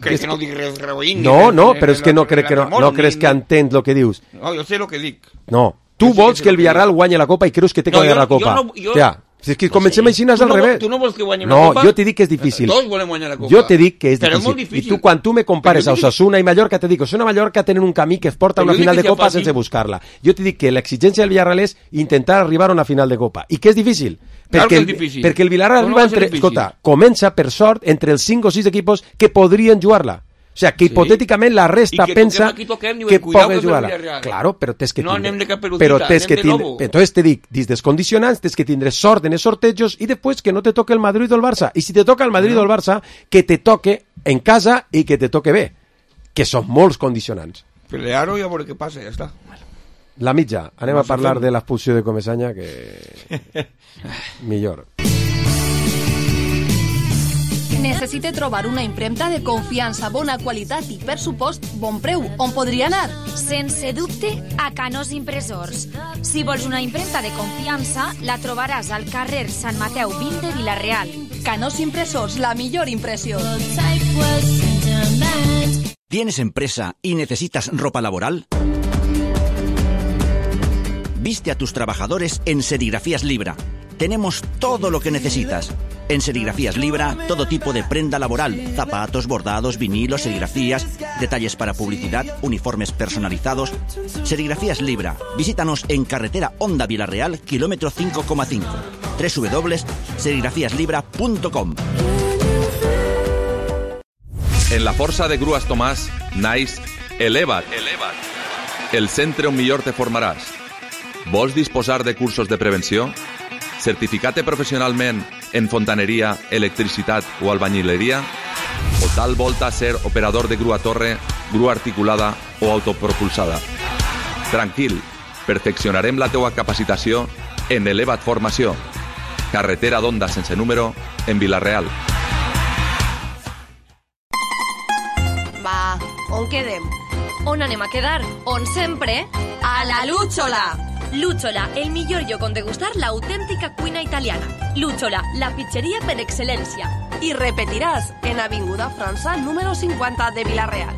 Crec que no dic res reoint. No, no, però és que no crec que no, no creus que entens el que dius. No, jo sé el que dic. No. Tu Jo sí vols que que el sé el que Villarreal guanyi la Copa i creus que té que No, guanyar jo- la Copa. jo no- jo- Hòstia, Si és que comencem així, és al revés. Tu no vols que guanyem no, la Copa? No, jo t'he dit que és difícil. Tots volem guanyar la Copa. Jo t'he dit que és però difícil. És difícil. I tu, quan tu me compares a Osasuna i Mallorca, te dic, Osasuna i Mallorca tenen un camí que es porta a una final de Copa sense buscar-la. Jo t'he dit que l'exigència del Villarreal és intentar arribar a una final de Copa. I que és difícil. Claro perquè, que és difícil. Perquè el Villarreal no arriba entre... Escolta, comença, per sort, entre els cinc o sis equipos que podrien jugar-la. O sea, que sí. hipotèticament la resta que pensa toquem, toquem, que pogués jugar-la. Claro, però tens que no tindre... anem de capelutita, però tens anem que de tindre... lobo. Entonces te dic, dins dels condicionants, tens que tindre sort en els sortejos i després que no te toque el Madrid o el Barça. I si te toca el Madrid o el Barça, que te toque en casa i que te toque bé. Que són molts condicionants. Pelear-ho i a veure què passa, ja està. La mitja. Anem no a parlar fem. de l'expulsió de Comesaña, que... millor. Necessite trobar una impremta de confiança, bona qualitat i, per supost, bon preu. On podria anar? Sense dubte, a Canós Impressors. Si vols una impremta de confiança, la trobaràs al carrer Sant Mateu vint de Vila-real. Canós Impressors, la millor impressió. ¿Tienes empresa y necesitas ropa laboral? Viste a tus trabajadores en Serigrafías Libra. Tenemos todo lo que necesitas. En Serigrafías Libra, todo tipo de prenda laboral, zapatos, bordados, vinilos, serigrafías, detalles para publicidad, uniformes personalizados. Serigrafías Libra. Visítanos en carretera Honda Vila-real, kilómetro cinco coma cinco. doble u doble u doble u punto serigrafías libra punto com. En la Força de Grues Tomàs naix Eleva't, Eleva't, el centre on millor te formaràs. Vols disposar de cursos de prevenció? Certificat-te professionalment en fontaneria, electricitat o albañileria? O tal volta ser operador de grua torre, grua articulada o autopropulsada? Tranquil, perfeccionarem la teua capacitació en Eleva't Formació. Carretera d'Onda sense número en Vila-real. Va, on quedem? On anem a quedar? On sempre? A la Lúchola! Lúchola, el millor lloc on degustar l'autèntica cuina italiana. Lúchola, la pizzeria per excel·lència. I repetiràs en Avinguda França, número cincuenta de Vila-real.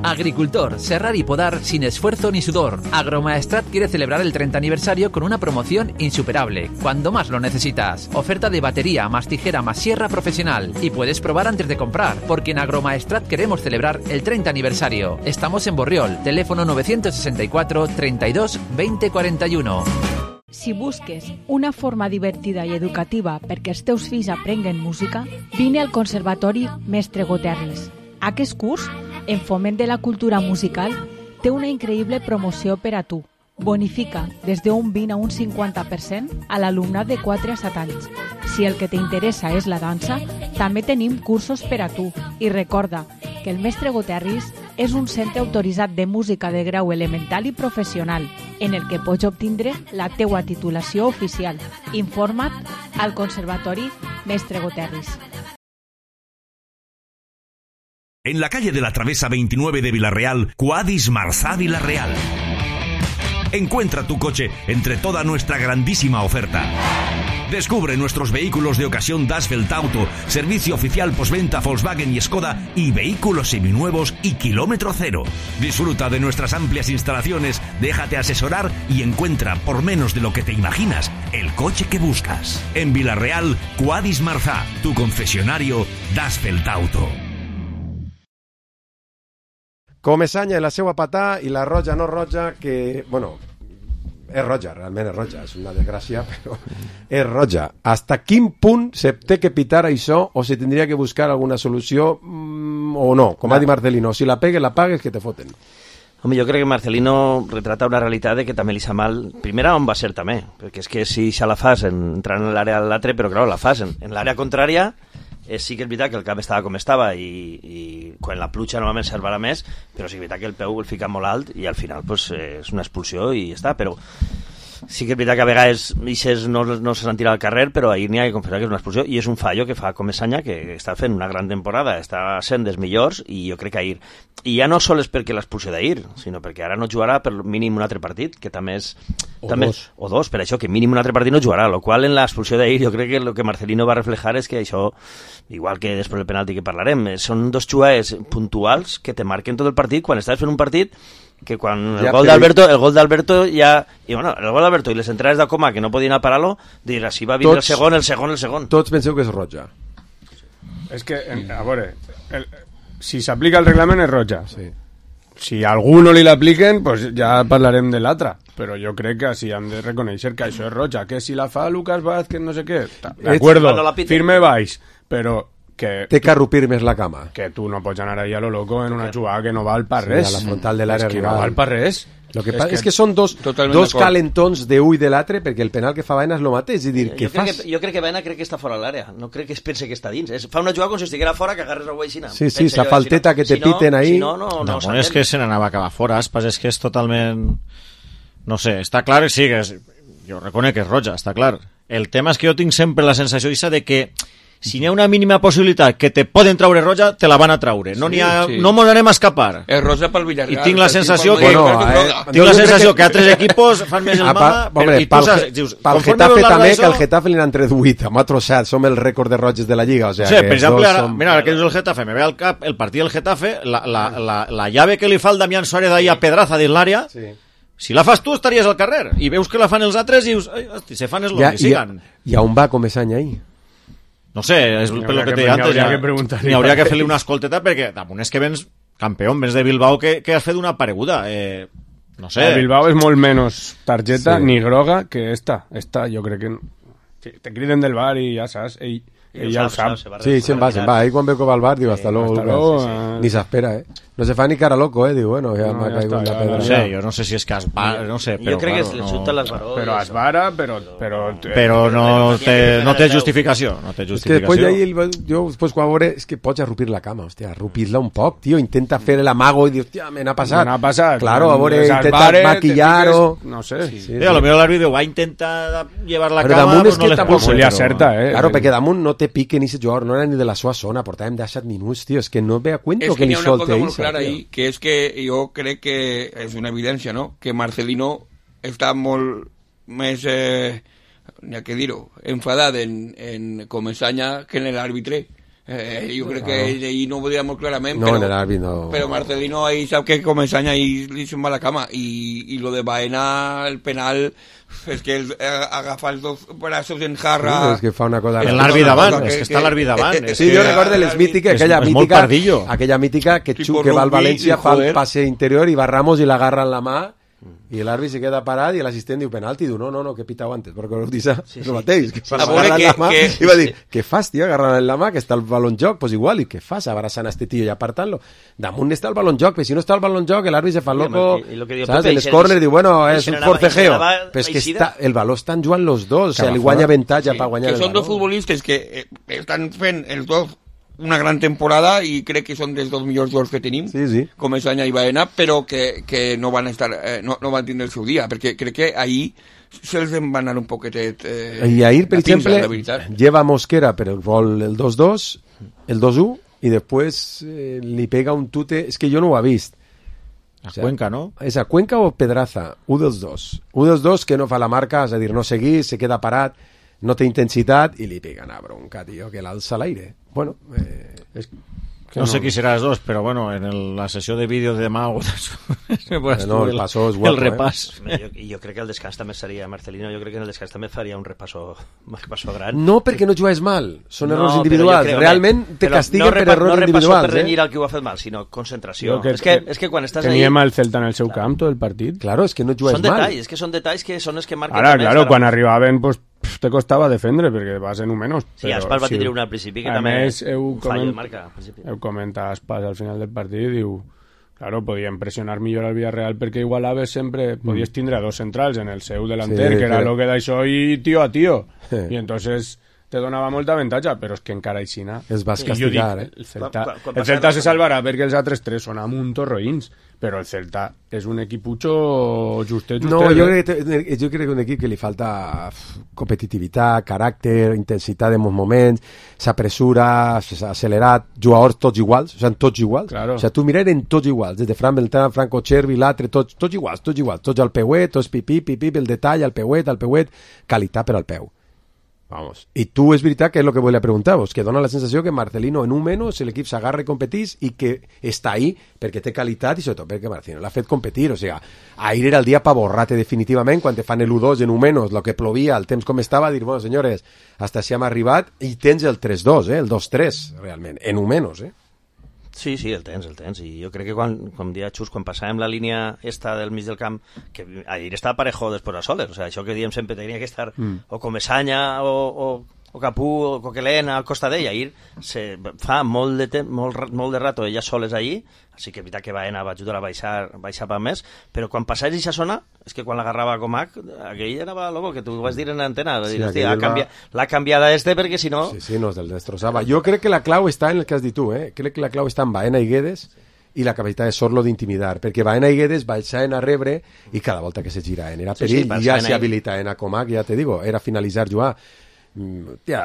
Agricultor, serrar y podar sin esfuerzo ni sudor. Agromaestrat quiere celebrar el treinta aniversario con una promoción insuperable, cuando más lo necesitas. Oferta de batería, más tijera, más sierra profesional. Y puedes probar antes de comprar, porque en Agromaestrat queremos celebrar el treinta aniversario. Estamos en Borriol, teléfono nueve seis cuatro, treinta y dos, veinte cuarenta y uno. Si busques una forma divertida i educativa perquè els teus fills aprenguen música, vine al Conservatori Mestre Goterris. Aquest curs, en foment de la cultura musical, té una increïble promoció per a tu. Bonifica des d'un vint a un cinquanta per cent a l'alumnat de quatre a set anys. Si el que t'interessa és la dansa, també tenim cursos per a tu. I recorda que el Mestre Goterris és un centre autoritzat de música de grau elemental i professional, en el que pots obtindre la teua titulació oficial. Informa't al Conservatori Mestre Goterris. En la calle de la Travesa veintinueve de Vila-real, Quadis Marzá Vila-real. Encuentra tu coche entre toda nuestra grandísima oferta. Descubre nuestros vehículos de ocasión Dasfeld Auto, servicio oficial postventa Volkswagen y Skoda y vehículos seminuevos y kilómetro cero. Disfruta de nuestras amplias instalaciones, déjate asesorar y encuentra por menos de lo que te imaginas el coche que buscas. En Vila-real, Quadis Marzá, tu concesionario Dasfeld Auto. Comesaña i la seva patà i la roja no roja, que, bueno, és roja, realment és roja, és una desgràcia, però és roja. Hasta quin punt se té que pitar això o se tindria que buscar alguna solució mmm, o no? Com ha dit Marcelino, si la pegues, la pagues, que te foten. Home, jo crec que Marcelino retrata una realitat de que també li sa mal, primera on va ser també, perquè és que si ja la fas entrant en l'àrea de l'altre, però clar, la fas en, en l'àrea contrària. Eh, sí que és veritat que el camp estava com estava i, i quan la pluja normalment servarà més, però sí que és veritat que el peu el fica molt alt i al final pues, eh, és una expulsió i ja està, però sí que és veritat que a vegades Ixes no, no se sentirà al carrer, però ahir n'hi ha que confessar que és una expulsió i és un fallo que fa Comesaña, que està fent una gran temporada, està sent dels millors i jo crec que ahir, i ja no sols perquè l'expulsió d'ahir, sinó perquè ara no jugarà per mínim un altre partit, que també és o, també, dos. o dos, per això que mínim un altre partit no jugarà, lo qual en l'expulsió d'ahir jo crec que el que Marcelino va reflejar és que això, igual que després del penalti que parlarem, són dos jugades puntuals que te marquen tot el partit, quan estàs fent un partit que quan el ja, gol d'Alberto, el gol d'Alberto ja... I bueno, el gol d'Alberto i les entrades de Coma que no podien parar-lo, dir, així va vindre tots, el segon, el segon, el segon. Tots penseu que és roja. És que, a veure, el, si s'aplica el reglament és roja. Sí. Si a algú no li l'apliquen, pues ja parlarem de l'altra. Però jo crec que si hem de reconèixer que això és roja, que si la fa Lucas Vázquez, no sé què, d'acuerdo, firme baix, però que... Té que arrupir més la cama. Que tu no pots anar ahí a lo loco en una jugada que no val per res. Sí, a la frontal de l'àrea rival. És que no val per res. Lo que és, que... és que són dos, dos calentons d'un i de l'altre, perquè el penal que fa Baena és el mateix. És dir, jo, crec que, jo crec que Baena crec que està fora l'àrea, no crec que es pense que està dins. És, fa una jugada com si estiguera fora que agarres el guaixina. Sí, sí, la falteta si no, que te si piten no, ahí... Si no, no, no, no, no és que se n'anava a acabar fora, Aspas, és que és totalment... No sé, està clar, sí, que és... jo reconec que és roja, està clar. El tema és que jo tinc sempre la sensació de que si n'hi ha una mínima possibilitat que te poden traure roja, te la van a traure. No n'hi ha, sí. no mos n'anem a escapar. És roja pel Villarreal. I tinc la sensació que, bueno, eh, tinc la sensació que... que altres equipos fan més el mama. Hombre, i tu saps, dius, pel Getafe també, que el Getafe li n'han tret vuit, amb altre set, som el rècord de roges de la Lliga. O sea, o sigui, que per exemple, ara, som... mira, ara que dius el Getafe, me ve al cap el partit del Getafe, la, la, la, la llave que li fa el Damián Suárez ahí a Pedraza dins l'àrea, sí. Si la fas tu estaries al carrer, i veus que la fan els altres i dius, ai, hosti, se fan els longs, i sigan. I on va com és any ahí? No sé, és per lo que, que te deia antes. N'hi hauria que fer-li una escolteta perquè damunt és que vens campió, vens de Bilbao que, que has fet una pareguda. Eh, no sé. El Bilbao és molt menys targeta sí. ni groga que esta. Esta jo crec que... Sí, te criden del bar i ja saps, ell, ell ja ho sap. Sí, se'n va, se'n va. Ahí quan veu que va al bar diu hasta luego. Ni s'espera, eh? No se fa ni cara loco, eh? Diu, bueno, ja m'ha caigut la pedra. No sé, jo no sé si és que esvara, no sé, però... Jo crec claro, que es xuta no... l'esbaró. Però esvara, però... Però, però no, té, no té justificació, no té justificació. És que després ahí, jo, després quan veure, és que pots arrupir la cama, hòstia, arrupir-la un poc, tio, intenta fer l'amago i dius, hòstia, me n'ha passat. Me n'ha passat. Claro, a veure, intenta maquillar-ho... No sé. Sí, sí, sí. A lo millor l'àrbitre va intentar llevar la però cama, pues no l'expulsa. Li acerta, eh? Claro, perquè damunt no té pique ni se jugador, no era ni de la seva zona, portàvem disset minuts, tio, és que no ve a cuento que li solte ahí, que és que jo crec que és una evidència, no? Que Marcelino està molt més, eh, n'hi ha que dir-ho, enfadat en, en Comesaña que en l'àrbitre. Eh, jo crec que ell, ell no ho deia molt clarament, no, però, no. però Marcelino ahí sap que Comesaña ahí li se'n va la cama i, i lo de Baena, el penal és que el, eh, agafar els dos braços en jarra sí, és que fa una cosa l'àrbitre davant, és que està l'àrbitre davant eh, eh, sí, jo recordo les mítiques aquella és, mítica, és aquella mítica que, Xu, que va al València fa el passe interior i va Ramos i l'agarra en la mà i l'àrbitre se queda parat i l'assistent diu penalti, diu no, no, no, que he pitau antes perquè ho dius, sí, sí. El mateix que fa agarrar en la mà que... i va dir, què fas tio agarrar en la mà que està el baló en joc, pues igual i què fas abraçant a este tio i apartant-lo damunt està el baló en joc, però si no està el baló en joc l'àrbitre se fa loco, saps, en els corners diu bueno, és un forcejeo però és que està, el baló estan jugant los dos o sigui, li guanya avantatge per guanyar el baló que són dos futbolistes que eh, estan fent els dos una gran temporada i crec que són dels dos millors jugadors que tenim, sí, sí. Comesaña i Baena, però que, que no van estar eh, no, no van tindre el seu dia, perquè crec que ahir se'ls va anar un poquetet eh, i ahir, per exemple, lleva Mosquera per el gol el dos dos el dos u i després eh, li pega un tute, és que jo no ho he vist a o sea, Cuenca, no? És a Cuenca o Pedraza, un dels dos un dels dos que no fa la marca, és a dir, no seguir se queda parat, no té intensitat i li pega una bronca, tio, que l'alça a l'aire. Bueno, eh, és... No, no sé qui serà els dos, però bueno, en el, la sessió de vídeo de demà no, el, passó és guapo, el repàs. Eh? Jo, jo crec que el descans també seria, Marcelino, jo crec que en el descans també faria un repasso, un repasso gran. No, perquè no jugues mal, són no, errors individuals. Crec, Realment te castiguen no per errors no individuals. No repasso per renyir eh? el que ho ha fet mal, sinó concentració. Que, és, que, és que quan estàs ahí... Teníem el Celta en el seu camp tot el partit. Claro, és que no jugues són mal. Detalls, és que són detalls que són els que marquen... Ara, claro, quan arribaven, pues, te costava defendre perquè vas en un menys. Sí, Aspas va tindre una al principi que també un fallo el marca. Heu comentat Aspas al final del partit, diu, claro, podien pressionar millor al Villarreal perquè igualaves sempre, mm. podies tindre dos centrals en el seu delanter, sí, que era sí. lo que d'això i tio a tio. Sí. I entonces te donava molta avantatge, però és que encara aixina... Es vas castigar, dic, eh? El Celta, quan, quan el Celta se salvarà perquè els altres tres són amuntos roïns, però el Celta és un equiputxo justet, justet. No, jo crec, que, jo crec que un equip que li falta competitivitat, caràcter, intensitat en molts moments, s'apressura, s'ha accelerat, jugadors tots iguals, o sigui, tots iguals. Claro. O sigui, tu mirar eren tots iguals, des de Fran Beltrán, Franco Cervi, l'altre, tots, tots iguals, tots iguals, tots al peuet, tots pipí, pipí, el detall, al peuet, al peuet, qualitat per al peu. Vamos. I tu és veritat que és el que volia preguntar-vos, que dona la sensació que Marcelino en un menys l'equip s'agarra i competís i que està ahí perquè té qualitat i sobretot perquè Marcelino l'ha fet competir, o sigui, ahir era el dia pa borrar-te definitivament quan te fan el u dos en un menys, el que plovia, el temps com estava, dir, bueno, senyores, hasta si hem arribat i tens el tres dos, eh, el dos tres, realment, en un menys, eh? Sí, sí, el tens, el tens. I jo crec que quan, com dia Xus, quan passàvem la línia esta del mig del camp, que ahir estava parejo després a soles, o sea, això que diem sempre tenia que estar mm. o Comesaña o, o, o Capú o Coquelin al costat d'ell. Ahir se fa molt de, temps, molt, molt de rato ella soles allí, així que és veritat que Baena va ajudar a baixar, baixar pa més, però quan passava aquesta zona, és que quan l'agarrava Comac, aquell anava loco, que tu ho vas dir en l'antena, sí, dir, hòstia, va... canvia, l'ha canviada este perquè si no... Sí, sí, no, el destrossava. Jo crec que la clau està en el que has dit tu, eh? Crec que la clau està en Baena i Guedes i la capacitat de Sorlo d'intimidar, perquè Baena i Guedes baixaven a rebre i cada volta que se giraven era perill, sí, sí, i ja se habilitaven a Comac, ja te digo, era finalitzar jugar. Ja,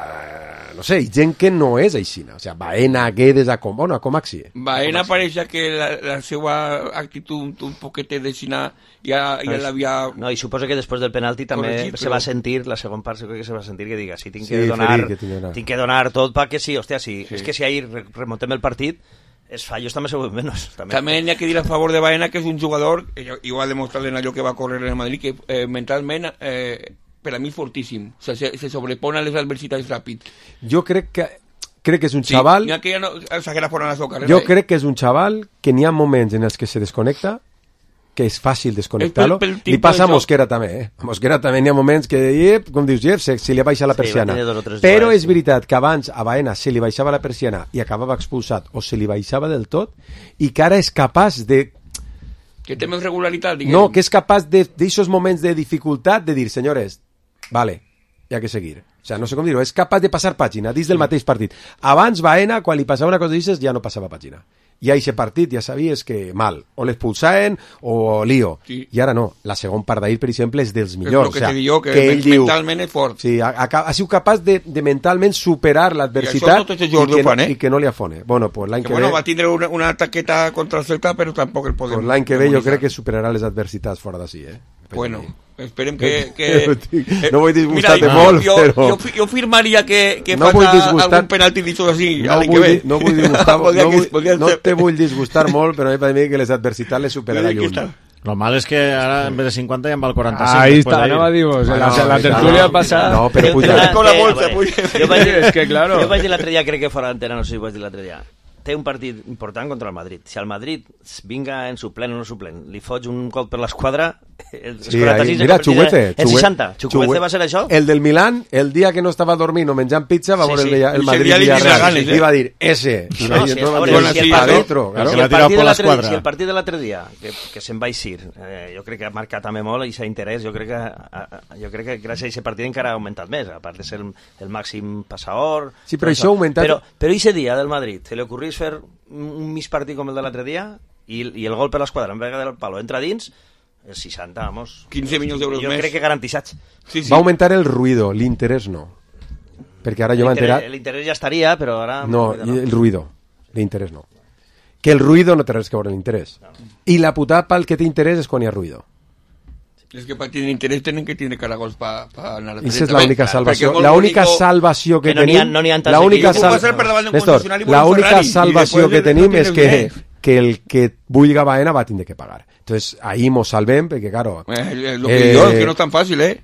no sé, gent que no és aixina, o sea, Baena, Guedes, a Com, bueno, a Comac sí. Baena pareix que la, la seva actitud un, un poquet d'aixina ja, ja l'havia... No, i suposo que després del penalti també corregit, se però... va sentir, la segon part crec que se va sentir que diga, sí, tinc que, sí, donar, ferir, que donar. tinc que donar tot perquè sí, hòstia, sí, sí. És que si ahir remontem el partit els fallos també se veuen menys. També. també hi ha que dir a favor de Baena que és un jugador, i ho ha demostrat en allò que va córrer en el Madrid, que eh, mentalment... Eh, per a mi fortíssim, o sea, se, se sobrepone a les adversitats ràpid. Jo crec que crec que és un sí, xaval... N'hi ha que ja no s'haguera fora la seva carrera. Jo eh? crec que és un xaval que n'hi ha moments en els que se desconnecta, que és fàcil desconnectar-lo. Li passa a Mosquera també, eh? A Mosquera també n'hi ha moments que, iep, com dius, Jeff, se, se li baixa la persiana. Sí, però és veritat que abans a Baena se li baixava la persiana i acabava expulsat, o se li baixava del tot, i que ara és capaç de... Que té més regularitat, diguem. No, que és capaç d'aixòs moments de dificultat de dir, senyores, vale, hi ha que seguir. O sea, no sé com dir-ho, és capaç de passar pàgina dins del mateix partit. Abans Baena, quan li passava una cosa d'aixes, ja no passava pàgina. I a aquest partit ja sabies que mal, o l'expulsaven o lío. Sí. I ara no, la segon part d'ahir, per exemple, és dels millors. És el que, o sea, te diu, que, que ell mentalment diu, és fort. Sí, ha, ha, ha sigut capaç de, de mentalment superar l'adversitat i, i, que, fan, eh? i que no li afone. Bueno, pues l'any que, que bueno, ve... va tindre una, una taqueta contra el Celta, però tampoc el podem... Pues l'any que ve jo crec que superarà les adversitats fora d'ací, eh? Bueno, esperem que... que no vull disgustar-te mira, molt, jo, però... Jo, jo firmaria que, que no fas algun penalti d'això així, no l'any que ve. No vull disgustar, no, vull, no te vull disgustar molt, però a mi per mi que les adversitats les superarà lluny. Lo mal és que ara en vez de cinquanta ja en va el quaranta-cinc. Ahí està, no va dir vos, la, la tertúlia passada... No, però puja. Con la bolsa, puja. Jo vaig dir l'altre dia, crec que fora d'antena, no sé si vaig dir l'altre dia, té un partit important contra el Madrid. Si el Madrid vinga en suplent o no suplent, li fots un cop per l'esquadra, el sí, quaranta-sis, mira, Chuguete, el seixanta. Chuguete va ser això? El del Milán, el dia que no estava dormint o menjant pizza, va veure sí, sí. el, el Madrid Villarreal. I va dir, ese. I va dir, no, si el partit de l'altre dia, que, que se'n va eixir, eh, jo crec que ha marcat també molt i s'ha interès, jo crec que, a, jo crec que gràcies a aquest partit encara ha augmentat més, a part de ser el, el màxim passador. Sí, però això ha augmentat... Però, però aquest dia del Madrid, se li ocorria fer un mig partit com el de l'altre dia i, i el gol per l'esquadra en vega del palo entra dins el seixanta, vamos, quinze milions d'euros jo més. Crec que garantissats. Sí, sí. Va augmentar el ruido, l'interès no, perquè ara jo m'he enterat l'interès ja estaria, però ara no, no. El ruido, l'interès no, que el ruido no té res que veure l'interès no. I la putada pel que té interès és quan hi ha ruido. Es que para tener interés tienen que tener caragols para pa anar a la Esa es la única salvació. La única salvació que, que tenim... No n'hi ha, no la única, sal... Néstor, la única salvació que tenim és que, que el que vulga Baena va tindre que pagar. Entonces, ahí mos salvem, perquè, claro... Eh, lo que eh, digo es que no es tan fácil, ¿eh?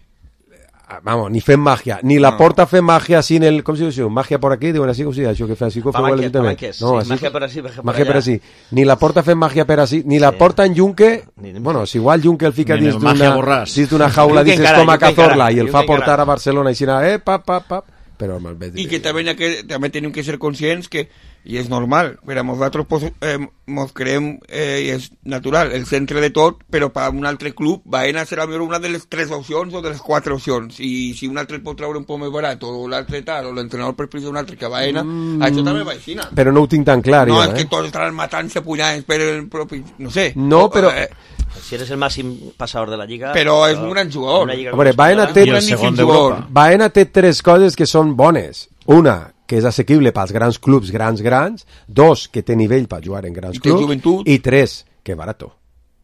Vamos, ni fem màgia, ni la porta fem màgia sin el... Com se diu? Màgia por aquí, diuen així com si això que fa així com feu l'Ajuntament. No, sí, màgia per així, màgia per màgia allà. Per així. Ni la porta fem màgia per així, ni la porta en Junque... Bueno, si igual Junque el fica dins d'una jaula, dices com a Cazorla, i el fa portar a Barcelona i si no, eh, pap, pap, pap... Però i que també, que també tenim que ser conscients que, i és normal, per a nosaltres pues, eh, mos creem, eh, i és natural, el centre de tot, però per a un altre club Baena serà una de les tres opcions o de les quatre opcions, i si un altre pot treure un poc més barat, o l'altre tal, o l'entrenador prefereix un altre que Baena, mm, això també va així. Però no ho tinc tan clar, no, jo, és eh? que tots estaran matant-se punyant per el propi, no sé. No, però... Eh, si eres el màxim passador de la Lliga... Però és un gran jugador. A veure, Baena té, Baena té tres coses que són bones. Una, que és assequible pels grans clubs grans, grans. Dos, que té nivell per jugar en grans clubs. I tres, que és barato.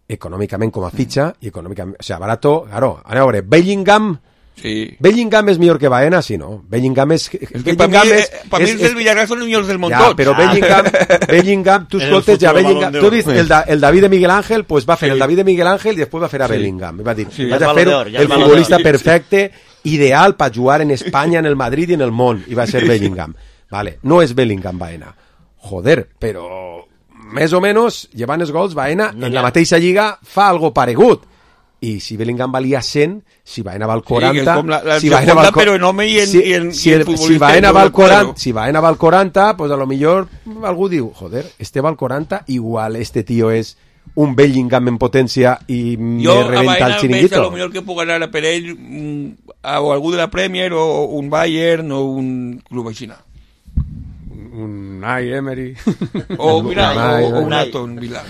Econòmicament com a fitxa, i econòmicament... O sigui, barato, claro, a veure, Bellingham Sí. Bellingham es millor que Baena, sí, no. Bellingham es... Es que para mí, es, eh, pa mi es, els del Villarreal són els millors del món ja, tot. però Ah. Bellingham, Bellingham, tu escoltes ja Bellingham... Tu has vist el, el David de Miguel Ángel, pues va a fer sí. el David de Miguel Ángel i després va fer a sí. Bellingham. Va dir, sí. vaig a fer el, el futbolista perfecte, ideal per jugar en Espanya, en el Madrid i en el món. I va ser Bellingham. Vale, no és Bellingham Baena. Joder, però més o menys, llevant els gols, Baena no, en la mateixa lliga fa algo paregut. I si Bellingham valia cent, si Baena val quaranta... Sí, la, la si Baena val, però en home i en, si, i en, si, i en el, futbolista... Si Baena val quaranta, si Baena val quaranta, pues a lo millor algú diu, joder, este val quaranta, igual este tío es un Bellingham en potència i me reventa el chiringuito. Jo a lo millor que puc anar per ell a algú de la Premier o un Bayern o un club així. Un Unai Emery. O mira, o un Aston Villa.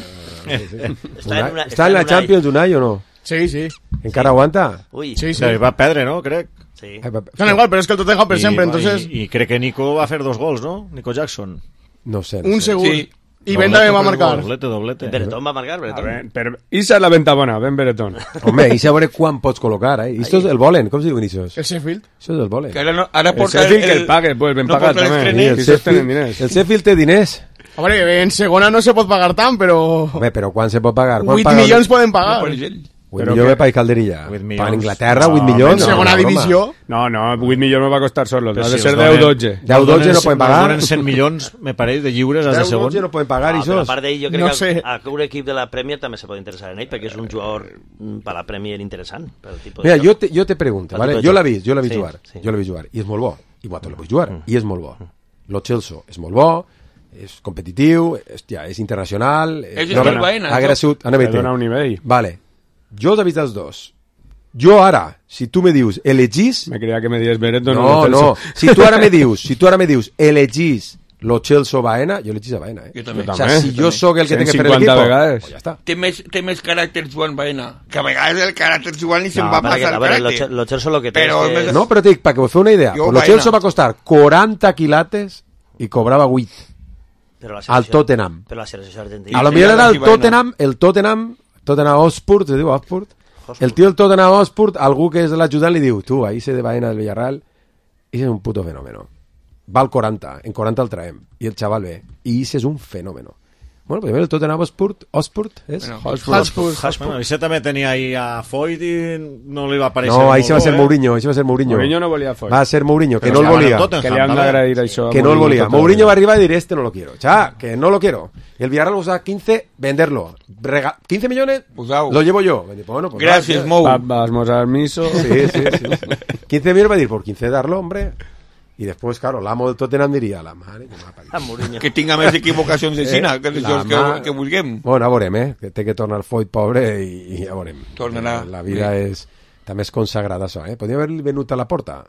Està en la Champions Unai o no? Sí, sí. ¿Encara aguanta? Uy, sí, sí. Va a perdre, ¿no? Crec. Sí. Son igual, pero es que el Tottenham per sempre, entonces... Y, y cree que Nico va a hacer dos gols, ¿no? Nico Jackson. No sé. No un sé. segur. Sí. I Ben també va marcar. Doblete, doblete. Beretón va a marcar, Beretón. Ver, per... Isa és la venta bona, Ben Beretón. Home, i a veure quan pots col·locar, eh? Esto és el volen, com se diu Vinicius? El Sheffield. Això és el volen. Que ara, no, ara el Sheffield el... que el pague, pues ben no pagat també. El Sheffield, el Sheffield té diners. Hombre, en segona no se pot pagar tant, però... Home, però quan se pot pagar? vuit milions poden pagar. vuit milions de país Calderilla. Per Anglaterra, vuit milions. En segona divisió. No, no, vuit milions no va costar solo. Ha de si ser deu dotze. deu dotze no poden pagar. Donen cent milions, me pareix, de lliures als de segon. deu dotze no poden pagar, no, això. A part d'ell, jo crec no que sé. a un equip de la Premier també se pot interessar en ell, perquè és un jugador per la Premier interessant. Per el tipus Mira, de jo te, jo te pregunto, ¿vale? Jo l'he vist, jo l'he vist sí, jugar. sí. Jo l'he vist jugar. I és molt bo. I Guato l'he vist jugar. I és molt bo. Lo Chelsea és molt bo. És competitiu, hòstia, és internacional. És no, el Baena. Ha crescut. Dona un nivell. Vale. Jo els he vist els dos. Jo ara, si tu me dius, elegís... Me creia que me dius Beretón. No, no. Si tu ara me dius, si tu ara me dius, elegís lo Chelsea Baena, jo elegís a Baena, eh? Jo també. O sea, si jo sóc el que té que fer l'equip, pues ja està. Té més, té més caràcter Joan Baena. Que a vegades el caràcter Joan ni se'n No, va perquè, passar a el veure, caràcter. lo, lo Chelsea lo que té Però és que... més- No, però te dic, perquè us feu una idea. Jo, Lo Baena. Chelsea va costar quaranta quilates i cobrava vuit Però la al selecció- Tottenham. Però la selecció argentina... A lo sí, millor era sí, el Baena. Tottenham, el Tottenham, Tottenham Hotspur, se diu Hotspur. El tio del Tottenham Hotspur, algú que és l'ajudant li diu, tu, ahí se de Baena del Villarreal, i és un puto fenómeno. Val quaranta, en quaranta el traem, i el xaval ve, i ese és un fenómeno. Bueno, pues el Tottenham Hotspur, Hotspur, és? Bueno, Hotspur. Bueno, ese també tenia ahí a Foyt i no li va aparèixer. No, ahí molt se va bo, ser eh? Mourinho, ahí se va ser Mourinho. Mourinho no volia Foyt. Va a ser Mourinho, que Però no el estaven volia. en Tottenham, Que li han també. d'agrair això. Que no el volia. Mourinho va arribar y decir, este no lo quiero. Cha, que no lo quiero. Y el Villarreal usa quince, venderlo. Rega quince millones, Posau. lo llevo yo. Pues, bueno, pues, Gràcies, va, Mou. Va, vamos al miso. Sí, sí, sí. quince millones va a decir, por quince darlo, hombre. Y después, claro, l'amo del Tottenham diria, la mare que m'ha parit. A Mourinho. Que tinga més equivocacions de Xina, que els la jocs que, mà- que vulguem. Bueno, a veurem, eh? Que té que tornar el Foyt pobre i, i ja veurem. Tornarà. La, la vida és... També és consagrada, això, eh? Podria haver venut a la porta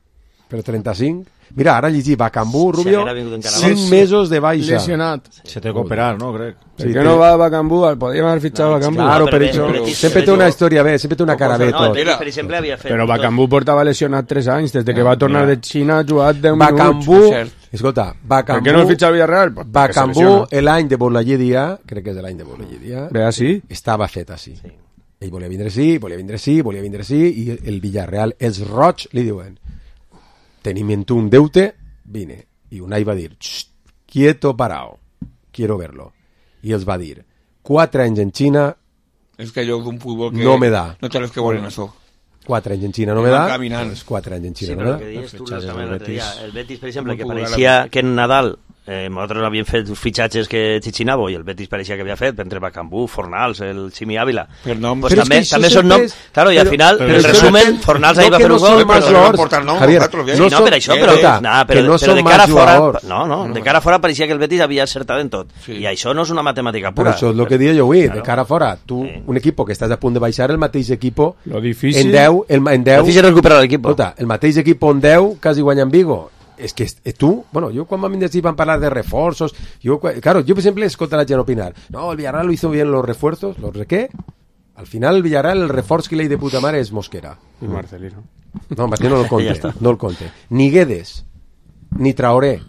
per trenta-cinc. Mira, ara llegir Bacambú, Si Rubio, haguera vingut encara cinc abans. mesos de baixa. Lesionat. Se té que operar, no? Crec. ¿Por qué no va a Bacambú? Podríamos haber fichado a Bacambú. Claro, pero pero bé, eso el Betis- sempre el té una Betis- història bé, sempre té una cara bé No, el tot. Betis, per exemple, havia fet... Però Bacambú portava lesionat tres anys. Des de que va tornar de Xina ha jugat deu minuts. Bacambú, cert. escolta, Per Bacambú, què no el fitxa al Villarreal? Pues porque se Bacambú, lesiona. l'any de Bolayedia, crec que és l'any de Bolayedia, Ve així? estava fet així. Ell volia vindre sí, volia vindre sí, volia vindre sí, i el Villarreal, els roig, li diuen, tenim en tu un deute, vine. I Unai va dir, "Xxt, quieto parao, quiero verlo. I els va dir, quatre anys en Xina, És que allò d'un futbol que... No me da. No té els que volen això. quatre anys en Xina no me Van da, caminant. doncs quatre anys en Sí, Xina però no el me que da. deies tu fitxatges també del l'altre dia, Betis. el Betis, per exemple, Com que puc anar pareixia que en Nadal eh, nosaltres havíem fet fitxatges que Chichinabo i el Betis pareixia que havia fet, entre Bacambú, Fornals, el Ximi Ávila. Per nom. Pues Però és també, que això també són sempre noms... és- Claro, i al però- final, però en això resumen, depèn- Fornals no ahí va que fer no un són gol, más però... jugadors, portar nom, Javier, nosaltres, bien. no Sí, no, són- per això, eh, però, escolta, nah, que però, no però són de más cara fora, jugadors. no, no, de cara fora pareixia que el Betis havia acertat en tot. Sí. I això no és una matemàtica Però pura. això és el que deia jo avui, Claro. de cara fora. Tu, Sí. un equipo que estàs a punt de baixar, el mateix equipo, Lo difícil... en deu, el, en deu, Lo difícil és recuperar l'equip. escolta, el mateix equipo en deu quasi guanya en Vigo. És que eh, tu, bueno, jo quan vam vindre així van parlar de refuerzos, jo, claro, yo siempre escolto a la gent opinar, no, el Villarreal lo hizo bien los refuerzos, ¿los de qué? Al final el Villarreal, el reforç que le de puta mare és Mosquera. Y Marcelino. No, Marcelino no el Ja conte, està. no el conte. Ni Guedes, ni Traoré.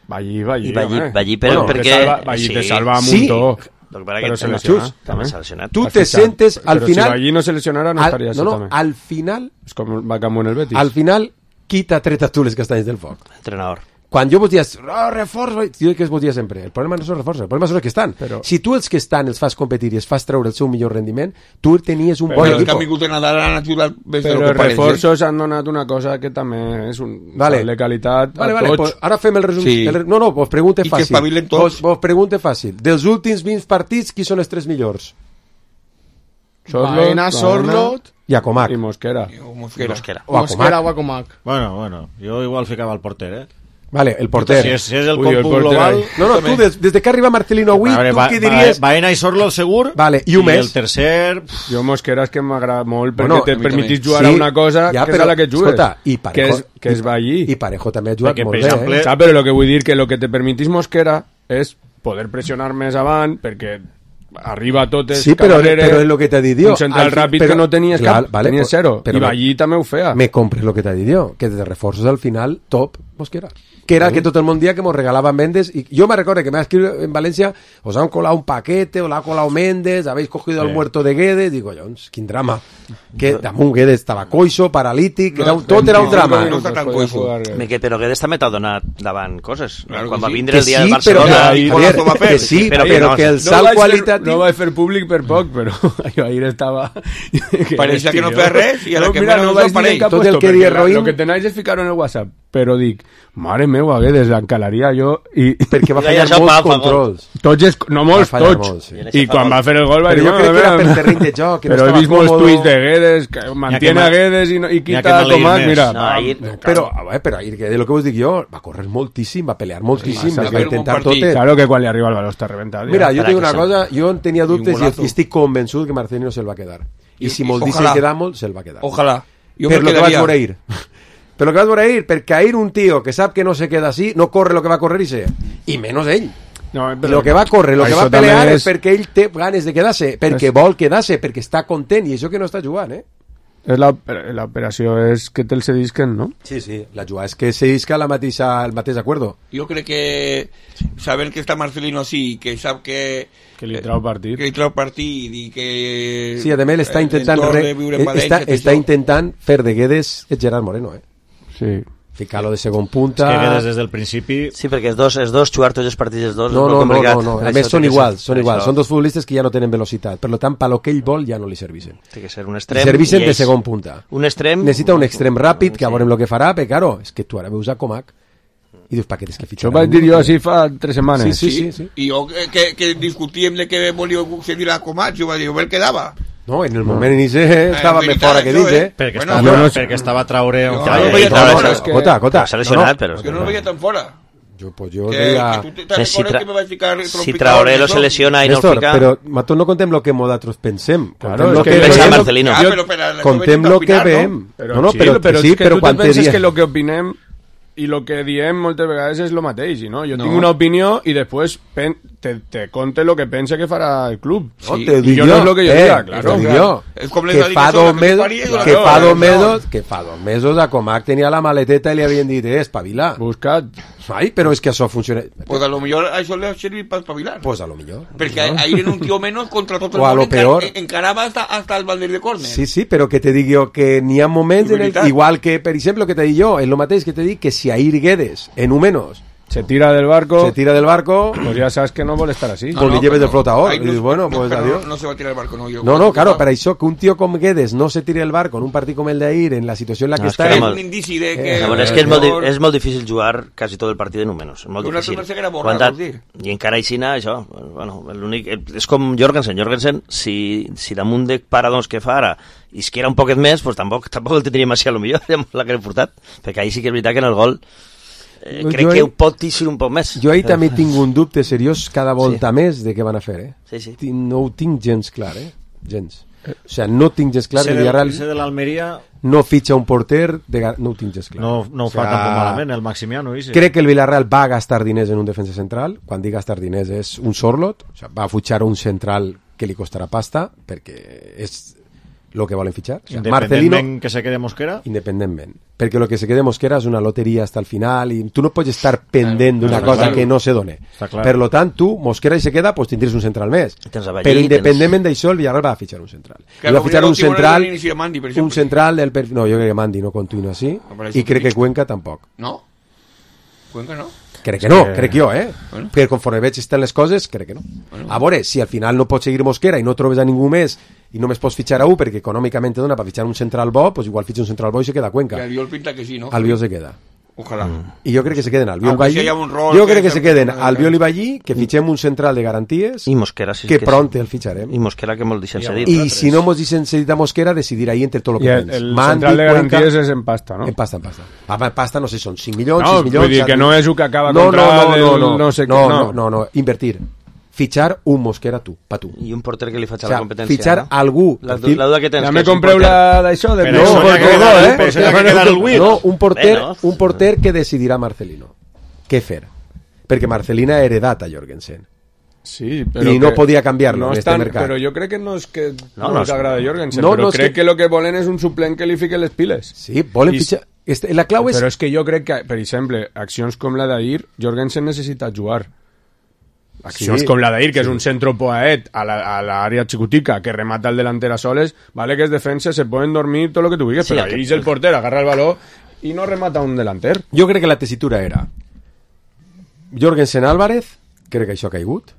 Vallí, Vallí. I Vallí, home. Vallí però Bueno, perquè... Te salva, Vallí te salva a Sí, muntó. Però seleccionat. També seleccionat. Tu te sentes al però final... Però si allí no seleccionara no estaria no, no, també. al final... És com va Campo en el Betis. Al final, qui t'ha tret a tu les castanyes del foc? Entrenador. Quan jo vos dies, oh, reforç, jo que es vos dia sempre, el problema no són reforços, el problema són els que estan. Però... Si tu els que estan els fas competir i els fas treure el seu millor rendiment, tu tenies un però bon equip. equip. Però el canvi que Nadal han ajudat més però de lo que els reforços han donat una cosa que també és un vale. de qualitat vale, a vale, tots. Pues ara fem el resum. Sí. El, no, no, vos pregunte I fàcil. que espavilen tots. Vos, vos pregunte fàcil. Dels últims vint partits, qui són els tres millors? Baena, Sorlot... I Acomac. I Mosquera. O Mosquera. Mosquera. O Mosquera o Acomac. Bueno, bueno, jo igual ficava el porter, eh? Vale, el porter. Si és, si és el Ui, el còmput porter global... ahí. No, no, tu, des, des de que arriba Marcelino avui, A veure, tu va, qui diries... Va, Baena i Sorlo, segur. Vale, i un I més. el tercer... Jo Mosquera és que m'agrada molt perquè Bueno, te a mi permetís també. jugar Sí, a una cosa ja, que però, és a la que jugues. escolta, i Parejo- que és, que i- es va allí. I Parejo també ha jugat Perquè, molt per bé, exemple, eh? Saps? Però el que vull dir que el que te permetís Mosquera és poder pressionar més avant perquè arriba a totes Sí, però, Cabrera, però és el que t'ha dit jo. un central Al fi- ràpid però- que no tenies clar, cap, vale, tenies però- zero. però I me- allí també ho feia. Me compres el que t'ha dit jo, que de reforços al final, top, Mosquera. Que era el que tot el món dia que mos regalava Méndez. Y yo me recuerdo que me ha escrito en Valencia, os han colado un paquete, os lo ha colado Méndez, habéis cogido Sí. al muerto de Guedes. Digo, Jones, quin drama. Que damunt Guedes estava coixo, paralític, No, era un, tot era un no, drama. no està tan coixo. Que, però Guedes també t'ha donat davant coses. Claro Quan que va sí. vindre Que el dia sí, del però, Barcelona... que, i Javier, Golazo va fer. que sí, Però però, que no, que el No salt vaig, fer, qualitatiu... no vaig fer públic per poc, però jo ahir estava... Pareixia que no feia res i a la no, que mira, menys no no vaig dir apareix. en cap Tot el puesto, que perquè dia la- Roín- Lo que tenéis és ficar-ho en el WhatsApp, però dic, mare meva, Guedes, l'encalaria jo i... Perquè va I fallar això molts fa- fa gol. controls. Tots, es, no molts, Va fallar tots. molt, sí. I quan va fer el gol va Però dir... jo crec que era per terreny de joc, que no Però he estava vist molts còmodo. tuits de Guedes, que mantiene a ma- Guedes i, no, i n'hi ha que quita a maleir Comac, més. mira. No, va, ahir- me cago. Però, a veure, però ahir, que de lo que us dic jo, va córrer moltíssim, va pelear moltíssim, Sí, va es va fer un bon intentar partit. tot. Claro que quan li arriba el baló està reventat. Mira, jo Carai, tinc una que cosa, jo en tenia dubtes i, golazo. i estic convençut que Marcelino se'l va quedar. I, I- si i- molt dice ojalà. quedar molt, se'l va quedar. Ojalà. Jo Per me lo que vaig quedaria. veure ahir. Per lo que vaig veure ahir, perquè ahir un tio que sap que no se queda així, no corre lo que va correr i se. I menys ell. No, I lo que va córrer, lo que això va pelear també és perquè ell té ganes de quedar-se, perquè És- vol quedar-se, perquè està content, i això que no està jugant, eh? És la- l'operació és que te'l cedisquen, no? Sí, sí, la jugada és que se isca la mateixa, el mateix acuerdo. Jo crec que saben que està Marcelino sí, que sap que Que li trau partit. que li trau partit i que Sí, a més està intentant, l'entorn re, de viure en està, València, tot està això. intentant fer de Guedes el Gerard Moreno, eh? Sí. Ficar-lo de segon És punta... que Guedes des del principi... Sí, perquè els dos, els dos jugar tots els partits, els dos, No, és no, molt no, complicat. no, no. Per A això més té són que ser- iguals, són per iguals. això Són dos futbolistes que ja no tenen velocitat. Per tant, per lo que ell vol ja no li servisen. Té que ser un Li extrem. servisen i de ells- segon punta. Un extrem... Necessita un extrem ràpid, que a veurem el que farà, però, claro, és que tu ara veus a Comac i dius, pa, què tens que fitxar? Això ho vaig dir jo així fa tres setmanes. Sí, sí, sí. sí. I jo que, que, que discutíem de que volia cedir a Comac, jo vaig dir, a veure què dava. No, en el moment inici estava en més veritat, fora que això, dins, eh? eh? Perquè, Bueno, està, jo no, no sé. perquè estava Traoré... Jo- on jo feia, no i veia Traoré tant, se- és que- Cota, cota. S'ha lesionat, però... Jo no el veia tan fora. Jo, pues jo Que, deia... que tu te'n Eh, si recordes tra- que me vaig ficar Si trompicador Traoré en lo això? se lesiona i no el Néstor, fica... però nosaltres no contem lo que nosaltres pensem. Claro, Contem és lo que que pensa veiem. Marcelino. Ah, Jo- però, però, això Contem veig lo que opinar, no? veiem. Però, No, no, sí, però, però sí, és que però tu quan te te penses dies... que el que opinem i el que diem moltes vegades és el mateix, i no? Jo No. tinc una opinió i després pen te, te conte el que pense que farà el club. No, Sí. te I dic jo no és lo que jo eh, diga, claro. te dic jo. És com les Que de fa Dinasola, dos que mesos, paria, que claro, fa dos claro. mesos, que fa dos mesos a Comac tenia la maleteta i li havien dit, eh, espavila. Buscat. Ai, però és que això funciona... Pues a lo millor això li ha servit per espavilar. Pues a lo millor. Perquè no? ahir en un tio menos contra tot el O a món lo encar peor. encarava hasta, hasta el bander de córner. Sí, sí, però que te dic jo que n'hi ha moments en el, Veritat. igual que, per exemple, que te dic jo, és el mateix que te dic que si ahir Guedes, en un menos, Se tira del barco, se tira del barco, pues ya sabes que no vol estar así. pues li lleves però de flotador. ahí I dius, bueno, no, pues però adiós. No, no se va a tirar el barco, no. Jo, No, no, claro, per això que un tio com Guedes no se tire el barco en un partit com el d'ahir, en la situació en la que No, és està... que és era un indici de que... Eh, A veure, és que és molt, di- és molt difícil jugar quasi tot el partit en un menys. És molt Una difícil. altra cosa que era borrar, Quan vols dir? I encara aixina, això, bueno, l'únic... És com Jorgensen. Jorgensen, si, si damunt de paradons que fa ara isquiera un poquet més, pues tampoc, tampoc el tindríem així a lo millor, la que l'he portat. Perquè ahir sí que és veritat que en el gol eh, Jo crec ahir- que ho pot teixir un poc més. Jo ahir també tinc un dubte seriós cada volta més de què van a fer, eh? Sí, sí. Tinc- No ho tinc gens clar, eh? Gens. O sigui, no tinc gens clar Ese que del- Villarreal ese de l'Almeria no fitxa un porter, de... gar- no ho tinc gens clar. no, no ho O fa sea, tampoc malament, el Maximiano. Ese. Crec que el Villarreal va gastar diners en un defensa central. Quan dic gastar diners és un sorlot. O sigui, va a futxar un central que li costarà pasta, perquè és lo que volen fitxar. O sea, Independentment Marcelino, que se quede Mosquera? Independentment. Perquè lo que se quede Mosquera és una loteria hasta el final i tu no pots estar pendent d'una claro, cosa claro. que no se done. Clar. Per lo tant, tu, Mosquera i se queda, pues tindries un central més. Avallí, Però independentment d'això, el Villarreal va a fitxar un central. Claro, I va fitxar un central, Mandi, un central del perfil... No, jo crec que Mandi no continua així No, i crec que Cuenca tampoc. No? Cuenca no? Crec que no, sí. crec jo, eh? Bueno. Perquè conforme veig estan les coses, crec que no. Bueno. A veure, si al final no pots seguir Mosquera i no trobes a ningú més i només pots fitxar a un perquè econòmicament te dona per fitxar un central bo, pues igual fitxa un central bo i se queda a Cuenca. Que Albiol pinta que sí, ¿no? Albiol se queda. Ojalá. Mm. I jo crec que se queden Albiol Aunque Ballí. si un rol jo que crec que se queden que... Albiol i Ballí, que fitxem un central de garanties i Mosquera, sí, que, que pront sí. el fitxarem. I Mosquera que molt deixen cedit. I si no mos deixen cedit a Mosquera, decidir ahí entre tot el que I el, tens. el Mandi, central de Cuenca, garanties és en pasta, no? En pasta, en pasta. Ah, en pasta no sé, són cinc milions, no, sis milions... Vull dir que no és el que acaba no, contra no, no, del no, no, no sé no, què. No, no, no, invertir. Fitxar un Mosquera tu, pa tu. I un porter que li faig a o sea, la competència. Fitxar no? algú. La, la duda que tens. Ja que me compreu la d'això? De... No, no, no, no, no, eh? Però ja que quedar el no, un porter, Bé, no? un porter que decidirà Marcelino. Què fer? Perquè Marcelina ha heredat a Jorgensen. Sí, però i no que podia canviar-lo no en este tan, mercat. Però jo crec que no és que no, no, no els agrada Jorgensen, no, però no, crec que... que el que volen és un suplent que li fique les piles. Sí, volen I... fitxar... Este, la clau és... Però és que jo crec que, per exemple, accions com la d'ahir, Jorgensen necessita jugar. Accions sí, com la d'ahir, que sí. és un centro poaet a l'àrea la, xicotica que remata el delanter a soles, vale que es defensa, se poden dormir tot lo que tu vulguis, sí, però ahí és el porter, agarra el baló i no remata un delanter. Jo crec que la tessitura era Jorgensen Álvarez, crec que això ha caigut.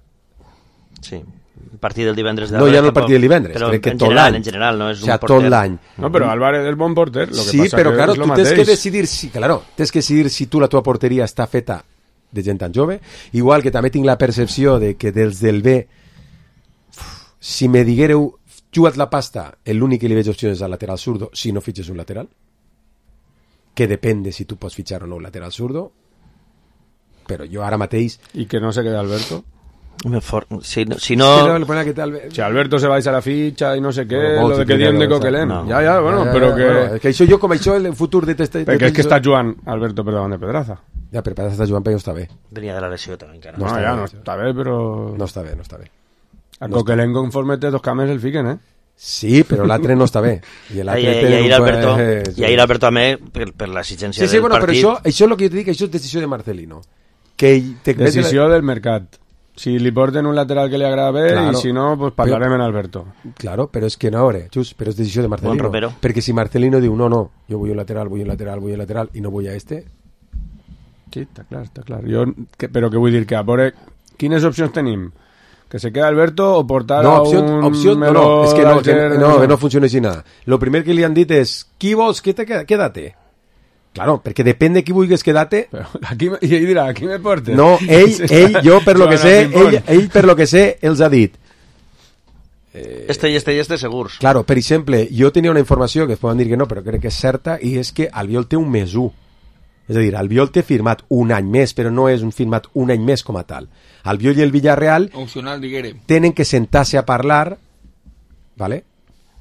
Sí, el partit del divendres de no, ja no el partit del divendres, però crec que en tot general, l'any. En general, no és o sea, un porter. Tot l'any. No, però Álvarez és bon porter. Lo que sí, passa però que claro, és tu mateix. tens que decidir si, claro, tens que decidir si tu la tua porteria està feta de gent tan jove, igual que també tinc la percepció de que dels del B, si me diguéreu jugat la pasta, l'únic que li veig opcions és al lateral zurdo, si no fitxes un lateral, que depèn de si tu pots fitxar o no un lateral zurdo, però jo ara mateix... I que no se quede Alberto? For... Si, si no... Si Alberto se va a la ficha y no sé qué, bueno, lo de que diuen de Coquelin. No. Ya, ya, bueno, ja, ja, pero que... Bueno, que això jo com això, el futur de... Testa, perquè és que està jugant Alberto per davant de Pedraza. Ja, però Pedraza està jugant, però no està bé. Venia de la lesió també, encara. No, no ja, bé. no està bé, però... No està bé, no està bé. A no Coquelin conforme té dos cames el fiquen, eh? Sí, però l'altre no està bé. I l'altre I, i, i, Alberto, fue... i ahir Alberto també, per, per l'exigència sí, sí, del bueno, partit... Però això, això és el que jo et dic, això és decisió de Marcelino. Que te... Decisió del mercat. Si li porten un lateral que li agrada bé, claro. I si no, pues parlarem en Alberto. Claro, però és que no, veure, just, però és decisió de Marcelino. Bon perquè si Marcelino diu, no, no, jo vull un lateral, vull un lateral, vull un lateral, i no vull a este... Sí, està clar, està clar. Jo, que, però què vull dir? Que a veure, quines opcions tenim? Que se queda Alberto o portar no, a opció, un... Opció, no, no, és que no, que no, que no funciona així nada. Lo primer que li han dit és, qui vols que te queda? Quédate. Claro, perquè depèn de qui vulguis quedar-te... Aquí, I ell dirà, aquí me portes? No, ell, ell jo per lo que sé, ell, ell per lo que sé, els ha dit... Eh, este i este i este segurs. Claro, per exemple, jo tenia una informació que es poden dir que no, però crec que és certa, i és que Albiol té un mes u. És a dir, Albiol té firmat un any més, però no és un firmat un any més com a tal. Albiol i el Villarreal opcional, tenen que sentar-se a parlar, ¿vale?,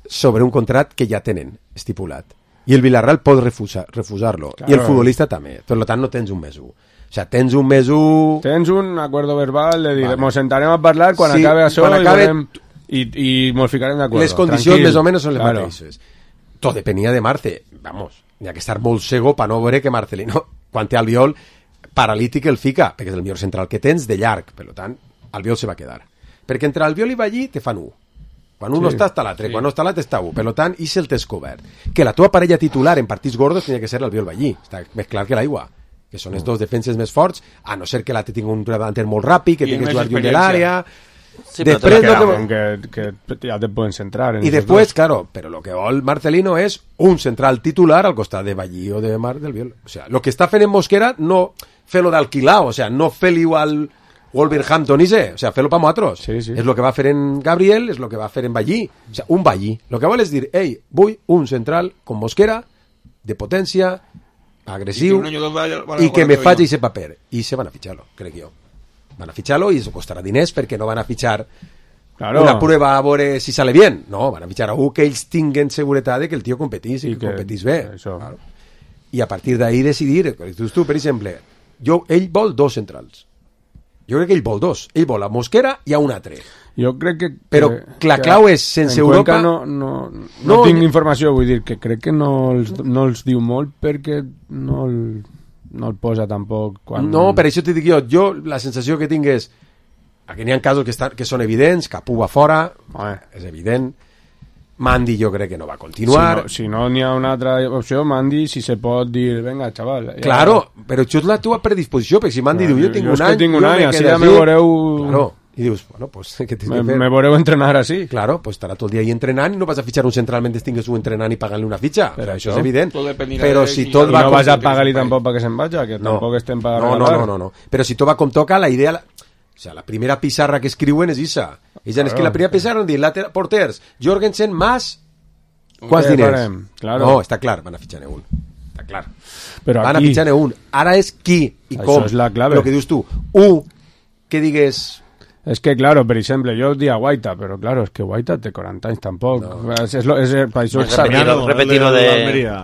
sobre un contrat que ja tenen estipulat. I el Villarreal pot refusar, refusar-lo. Claro. I el futbolista també. Per tant, no tens un mes u. O sea, tens un mes u... Tens un acuerdo verbal de dir, vale. Nos sentarem a parlar quan sí, acabe això acabe... i, volem... i, i mos ficarem d'acord. Les condicions Tranquil. més o menys són les claro. mateixes. Tot depenia de Marce. Vamos, hi ha que estar molt cego per no veure que Marcelino, quan té Albiol, paralític el fica, perquè és el millor central que tens de llarg. Per tant, Albiol se va quedar. Perquè entre Albiol i Ballí te fan u. Quan un sí, no està, està l'altre. Sí. Quan no està l'altre, està u. Per tant, i si el tens cobert. Que la tua parella titular en partits gordos tenia que ser l'Albiol Ballí. Està més clar que l'aigua. Que són els dos defenses més forts, a no ser que l'altre tingui un davanter molt ràpid, que tingui que jugar lluny de l'àrea... Sí, després que, no que... Que, que ja te pueden centrar. I després, claro, però lo que vol Marcelino és un central titular al costat de Ballí o de Mar del Biol. O sea, lo que està fent en Mosquera, no fer-lo d'alquilar, o sea, no fer-li igual... Wolverhampton i sé, o sea, fer-lo pa nosaltres. Sí, sí. És el que va fer en Gabriel, és el que va fer en Ballí. O sea, un Ballí. Lo que vol és dir, ei, vull un central com Mosquera, de potència, agressiu, i que, i que me faci ese paper. I se van a fitxar-lo, crec jo. Van a fitxar-lo i eso costarà diners perquè no van a fitxar claro. Una prueba a veure si sale bien. No, van a fitxar a un que ells tinguen seguretat de que el tio competís i, I que, que competís bé. Això. Claro. I a partir d'ahí decidir, tu, tu, per exemple, jo, ell vol dos centrals. Jo crec que ell vol dos. Ell vol a Mosquera i a un altre. Jo crec que... Però que, la clau és, sense Europa... No, no, no, no tinc informació, vull dir, que crec que no els, no els diu molt perquè no el, no el posa tampoc quan... No, per això t'hi dic jo, jo la sensació que tinc és que n'hi ha casos que, estan, que són evidents, Capú va fora, eh. és evident, Mandy jo crec que no va continuar. Si no n'hi no, ha una altra opció, Mandy, si se pot dir, venga, xaval. Ja... Claro, però això és la teva predisposició, perquè si Mandy no, diu, jo tinc jo un any, tinc un jo any, me així quedo ja me veureu... Claro. I dius, bueno, pues, ¿qué tienes me, que fer? Me veureu entrenar així. Claro, pues estarà tot el dia ahí entrenant i no vas a fitxar un central mentre tingues un entrenant i pagar-li una fitxa. Però això és evident. Però si tot va... No vas a pagar-li tampoc perquè se'n vaja, que no. Tampoc estem per no, no, no, no, no. Però si tot va com toca, la idea... O sea, la primera pizarra que escriuen és isa. Ells claro. És que la primera pizarra han dit, later, porters, Jorgensen más... Quants diners? Claro. No, està clar, van a fitxar-ne un. Està clar. Però van aquí... a fitxar-ne un. Ara és qui i això com. És la clave. El que dius tu. Un, que digues... Es que, claro, per exemple, jo dia Guaita, però, claro, es que Guaita té quaranta anys tampoc. No. És, és, és, per això és repetir-lo repetir de... l'Almeria.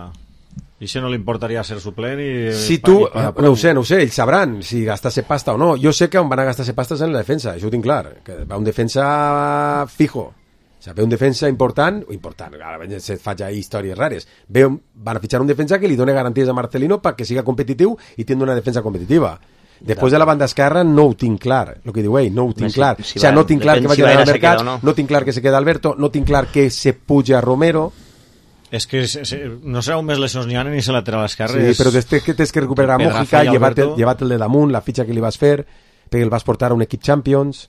I si no li importaria ser suplent i... Si tu, i, i, no ho sé, no ho sé, ells sabran si gastar-se pasta o no. Jo sé que on van a gastar-se pastes en la defensa, això ho tinc clar. Que va un defensa fijo. O sigui, ve un defensa important, o important, ara se fa ja històries rares. Ve un, van a fitxar un defensa que li doni garanties a Marcelino perquè siga competitiu i tingui una defensa competitiva. Després de la banda esquerra no ho tinc clar, el que diu ell, no ho tinc clar. Si, si o sigui, no tinc clar que vagi si al mercat, no. no tinc clar que se queda Alberto, no tinc clar que se puja Romero. És que no sé on més lesions n'hi ha ni se lateral esquerra. Sí, però després que tens que recuperar a Mójica, llevar-te el de damunt, la fitxa que li vas fer, perquè el vas portar a un equip Champions...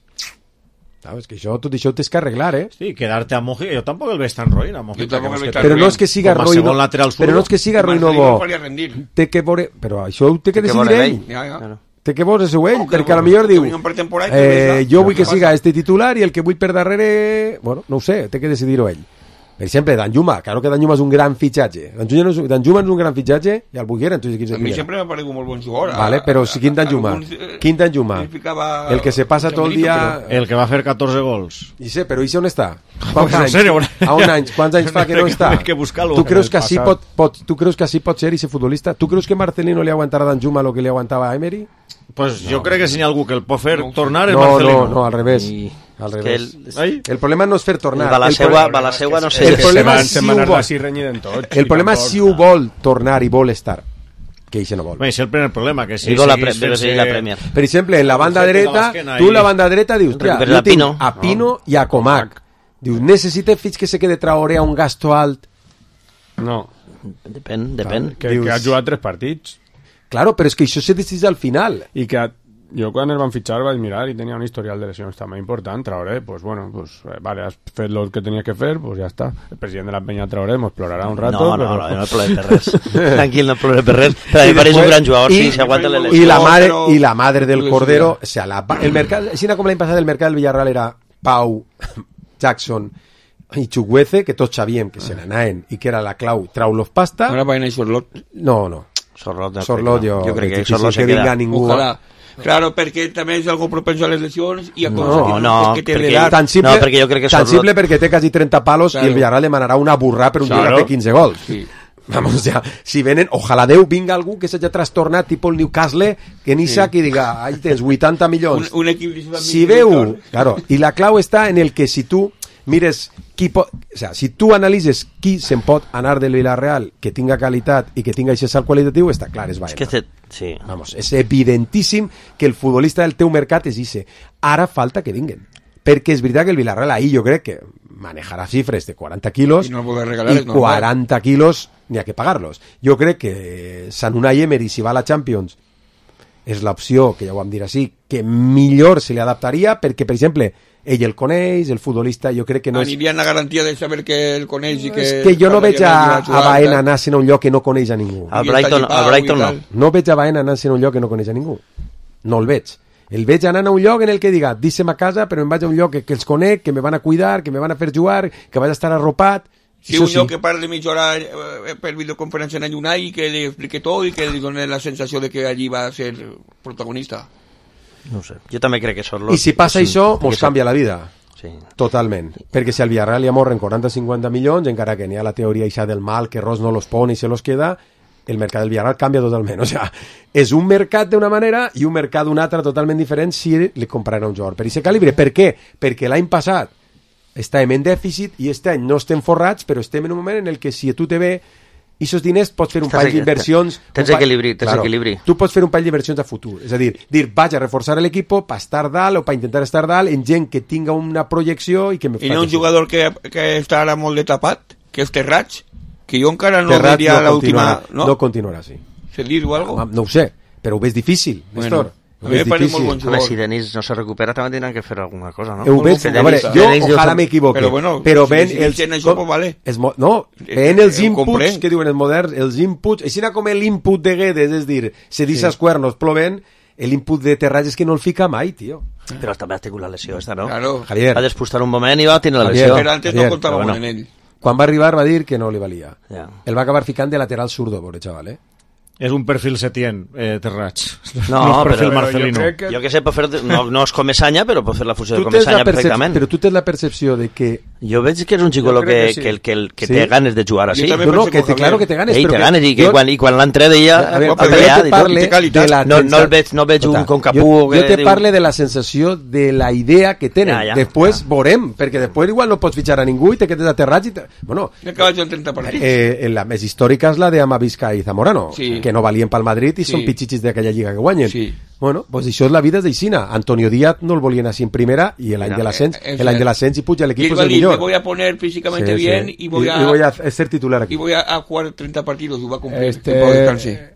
Sabes que això, tot això ho tens que arreglar, eh? Sí, quedarte a Mójica, jo tampoc el veig tan roïn a Mójica. Però no és que siga roïn, però no és que siga roïn o bo. Té que veure, però això ho té que decidir ell. Té que veure seu ell, perquè a lo millor diu eh, jo vull que siga este titular i el que vull per darrere, bueno, no ho sé, té que decidir-ho ell. Per exemple, Danjuma, claro que Danjuma és un gran fitxatge. Danjuma és, Danjuma és un gran fitxatge i el Buguera, entonces equips de a mi sempre m'ha paregut molt bon jugador. Vale, però si quin Danjuma? Quin Danjuma? El que se passa tot el dia... El que va fer catorze gols. I sé, però i on està? Quants anys? A un any, quants anys fa que no està? Tu creus que així pot, pot, tu creus que així pot ser i ser futbolista? Tu creus que Marcelino li aguantarà a Danjuma el que li aguantava a Emery? Pues no. Jo crec que si hi ha algú que el pot fer no. tornar és no, Marcelino. No, no, al revés. I... Al revés. El, el problema no és fer tornar. Va la seua, va la seua no sé. El problema és si ho vol. El problema és si ho vol tornar i vol estar. Que això no vol. Bé, és el primer problema. Que si la, pre fer la Premier. Per exemple, en la banda dreta, tu en la banda dreta dius, tia, jo tinc a Pino i a Comac. Dius, necessite fins que se quede Traoré a un gasto alt. No. Depèn, depèn. Que, que ha jugat tres partits. Claro, però és que això se decideix al final. I que jo quan el van fitxar vaig mirar i tenia un historial de lesions també important. Traoré, pues bueno, pues eh, vale, has fet el que tenies que fer, pues ja està. El president de la penya Traoré mos plorarà un rato. No, no, però... no, no plore per res. Tranquil, no plore per res. Però me pareix un gran jugador, sí, s'aguanta les lesions. I la madre, i la madre del Cordero, o sea, la, el mercat, així com l'any passat el mercat del Villarreal era Pau, Jackson i Chukwueze, que tots sabíem que se n'anaven i que era la clau trau-los pasta. Ara va anar a Sorlot. No, no. Sorlot, Sorlot jo, jo crec que, que Sorlot se queda ningú. Ojalá. Claro, perquè també és algo propenso a les lesions i a coses no, no, que té perquè, tan simple, no, perquè jo crec que tan Sorlot... simple perquè té quasi trenta palos claro. I el Villarreal demanarà una burrà per un claro. Dia que té quinze gols. Sí. Vamos, ya, si venen, ojalà Déu vinga algú que s'hagi trastornat, tipus el Newcastle, que ni sac sí. I diga, ahí tens vuitanta milions. Un, un equip si veu, claro, i la clau està en el que si tu mires qui pot, o sea, si tu analitzes qui se'n pot anar del Villarreal que tinga qualitat i que tinga aquest salt qualitatiu, està clar, és Baena. És que te... sí. Vamos, és evidentíssim que el futbolista del teu mercat és ixe. Ara falta que vinguen. Perquè és veritat que el Villarreal ahí jo crec que manejarà xifres de quaranta quilos i, no regalar, i quaranta no quilos n'hi ha que pagar-los. Jo crec que Sant Unai Emery, si va a la Champions, és l'opció, que ja ho vam dir així, que millor se li adaptaria perquè, per exemple, ell el coneix, el futbolista, jo crec que no és... Anirien la garantia de saber que el coneix i que... És que jo no veig a, a Baena anar-se'n a un lloc que no coneix a ningú. Al Brighton, al Brighton no. No veig a Baena anar-se'n a un lloc que no coneix a ningú. No el veig. El veig anant a un lloc en el que diga, deixa'm a casa, però em vaig a un lloc que, que els conec, que me van a cuidar, que me van a fer jugar, que vaig a estar arropat... Sí, un lloc sí. Que parli mitja hora eh, per videoconferència en Unai i que li explique tot i que li doni la sensació de que allí va a ser protagonista. No sé, jo també crec que són los... I si passa sí, això, mos canvia la vida. Sí. Totalment. Perquè si al Villarreal li amorren quaranta a cinquanta milions, encara que n'hi ha la teoria ixa del mal, que Ros no los pone i se los queda, el mercat del Villarreal canvia totalment. O sea, és un mercat d'una manera i un mercat d'una altra totalment diferent si li compraran un jugador per aquest calibre. Per què? Perquè l'any passat estàvem en dèficit i este any no estem forrats, però estem en un moment en el que si a tu te ve i aquests diners pots fer un pall d'inversions... Tens equilibri, tens equilibri. Tu pots fer un pall d'inversions a futur. És a dir, dir, vaig a reforçar l'equip per estar dalt o per intentar estar dalt en gent que tinga una projecció i que me faci... I no un jugador que, que està ara molt de tapat, que és Terrats, que jo encara no Terrat diria no l'última... No? no continuarà, sí. Se dir-ho algo? No, no ho sé, però ho veig difícil, Néstor. Bueno. És difícil. Bon Home, si Denis no se recupera també tindran que fer alguna cosa, no? Ho veig, a veure, jo ojalà m'equivoqui, però, bueno, però ven si els... això, com, vale. es, no, ven els inputs, que diuen els moderns, els inputs, així com l'input de Guedes, és dir, se deixa els cuernos ploven, l'input de Terrats és que no el fica mai, tio. Però també ha tingut la lesió esta, no? Claro. Javier. Va despustar un moment i va tenir la lesió. Però antes no comptava bueno. en ell. Quan va arribar va dir que no li valia. Ja. El va acabar ficant de lateral zurdo, pobre xaval, eh? És un perfil Setién, eh, Terrats. No, no perfil però, Marcelino. Jo, que... jo que sé, fer, no, no és Comesanya, però pot fer la funció de Comesanya perfectament. Però tu tens la percepció de que... Jo veig que és un xicolo que, que, sí. que, que, que sí? té ganes de jugar així. No, no, que te, claro que té ganes. Ell té ganes, i que jo... quan, i quan l'entré deia... A veure, a veure, jo te parle de la... No, no el veig, no veig un concapú... Jo, jo te parle de la sensació de la idea que tenen. Ja, ja, després ja. veurem, perquè després igual no pots fitxar a ningú i te quedes a Terrats i... Te... Bueno... Ja acabes en trenta partits. Eh, la més històrica és la de Amavisca i Zamorano, sí. que no valien pel Madrid i sí. són pitxichis d'aquella lliga que guanyen. Sí. Bueno, pues això és la vida d'Ixina. Antonio Díaz no el volien així en primera i l'any de l'ascens, l'any de l'ascens i puja l'equip és el millor. Me voy a poner físicamente sí, bien sí. y voy a y, y voy a ser titular aquí. Y voy a, a jugar trenta partidos y va a cumplir este,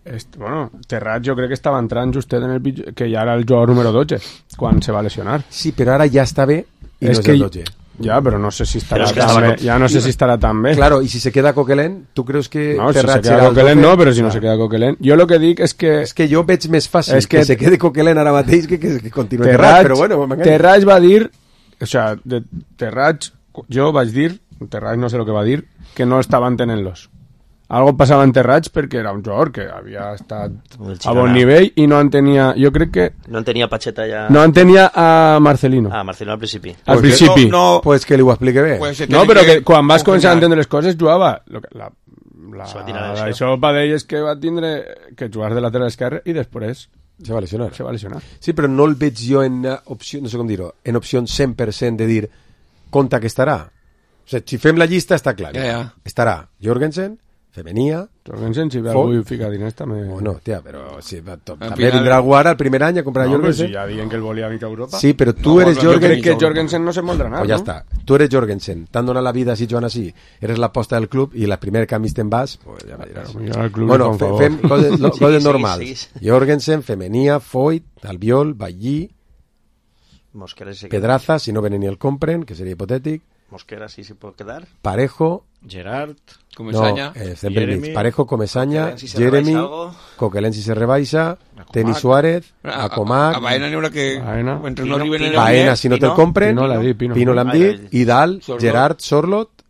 este, bueno, Terrats jo crec que estava entrant justet en el pitjor, que ja era el jugador número dotze quan se va lesionar. Sí, però ara ja està bé i és no és que el dotze. Ja, però no sé si estarà tan bé. Ja no sé si estarà tan bé. Claro, y si se queda Coquelin, ¿tú crees que no, Terrats si se queda Coquelin no, però si no se queda Coquelin. Jo lo que dic és que... És que jo veig més fàcil es que, que se quede Coquelin ara mateix que que, que continuï Terrats, però bueno, Terrats va dir, o sea, de Terrats, jo vaig dir, Terrats no sé lo que va dir, que no estaven tenent-los. Algo passava en Terrats perquè era un jugador que havia estat a bon nivell i no en tenia, jo crec que... No en tenia Pacheta ja... No en tenia a Marcelino. Ah, Marcelino al principi. Al pues principi. No, no, pues que li ho explique bé. Pues no, però que, que quan vas començar a entendre les coses jugava... Lo que, la, la, la, això va d'ell és que va tindre que jugar de lateral esquerre i després... Se va lesionar. Se va lesionar. Sí, però no el veig jo en opció, no sé com dir-ho, en opció cent per cent de dir compte que estarà. O sigui, si fem la llista està clar. Ja, ja. Estarà Jorgensen, Femenia... Jorgensen, si ve algú fica diners també... Oh, no, tia, però si, to, també vindrà a jugar el primer any a comprar no, Jorgensen. Si ja diuen que el volia mica a Europa. Sí, però tu no, eres Jorgensen... Jorgensen... Jo crec que Jorgensen no se moldrà nada, pues ja no? està. Tu eres Jorgensen, t'han donat la vida si jugant així, eres l'aposta del club i la primer canvi te'n vas, pues ja me diràs. Bueno, fe, fem coses, no, coses sí, normals. Sí, sí. Jorgensen, Femenia, Foyt, Albiol, Ballí, Mosquera, sí Pedraza, si no venen ni el compren, que seria hipotètic. Mosquera sí se pot quedar. Parejo, Gerard, Comesaña, no, eh, Jeremy, Parejo, Comesaña, si Jeremy, Coquelin si se rebaixa, Teni Suárez, Acomac, a, a Baena n'hi haurà que Baena, mentre no arriben en el Baena si no te'l compren, Pino l'ha dit, Pino, Pino l'han dit, Idal, Gerard, Sorlot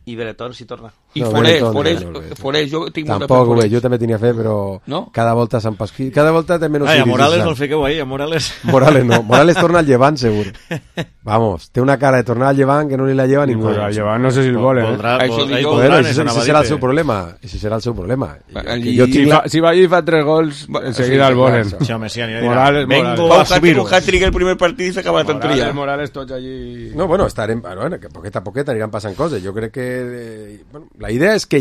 i Beretón si torna. I no, Forés, Forés, Forés, jo tinc molta Tampoc ho veig, jo també tenia fe, però no? cada volta s'han pasquit, cada volta té menys... Ai, a Morales no el fiqueu ahí, a Morales... Morales no, Morales torna al Llevant, segur. Vamos, té una cara de tornar al Llevant que no li la lleva ningú. Pues al Llevant no sé si el volen, eh? Això dic, bueno, ese serà el seu problema, ese serà el seu problema. I, jo tinc la... Si va allí i fa tres gols, enseguida el volen. Sí, home, sí, Morales, vengo a subir-ho. Un hat-trick el primer partit i s'acaba la tonteria. Morales, tots allí... No, bueno, estarem... Bueno, que poqueta a poqueta aniran passant coses. Jo crec que... Bueno, la idea és que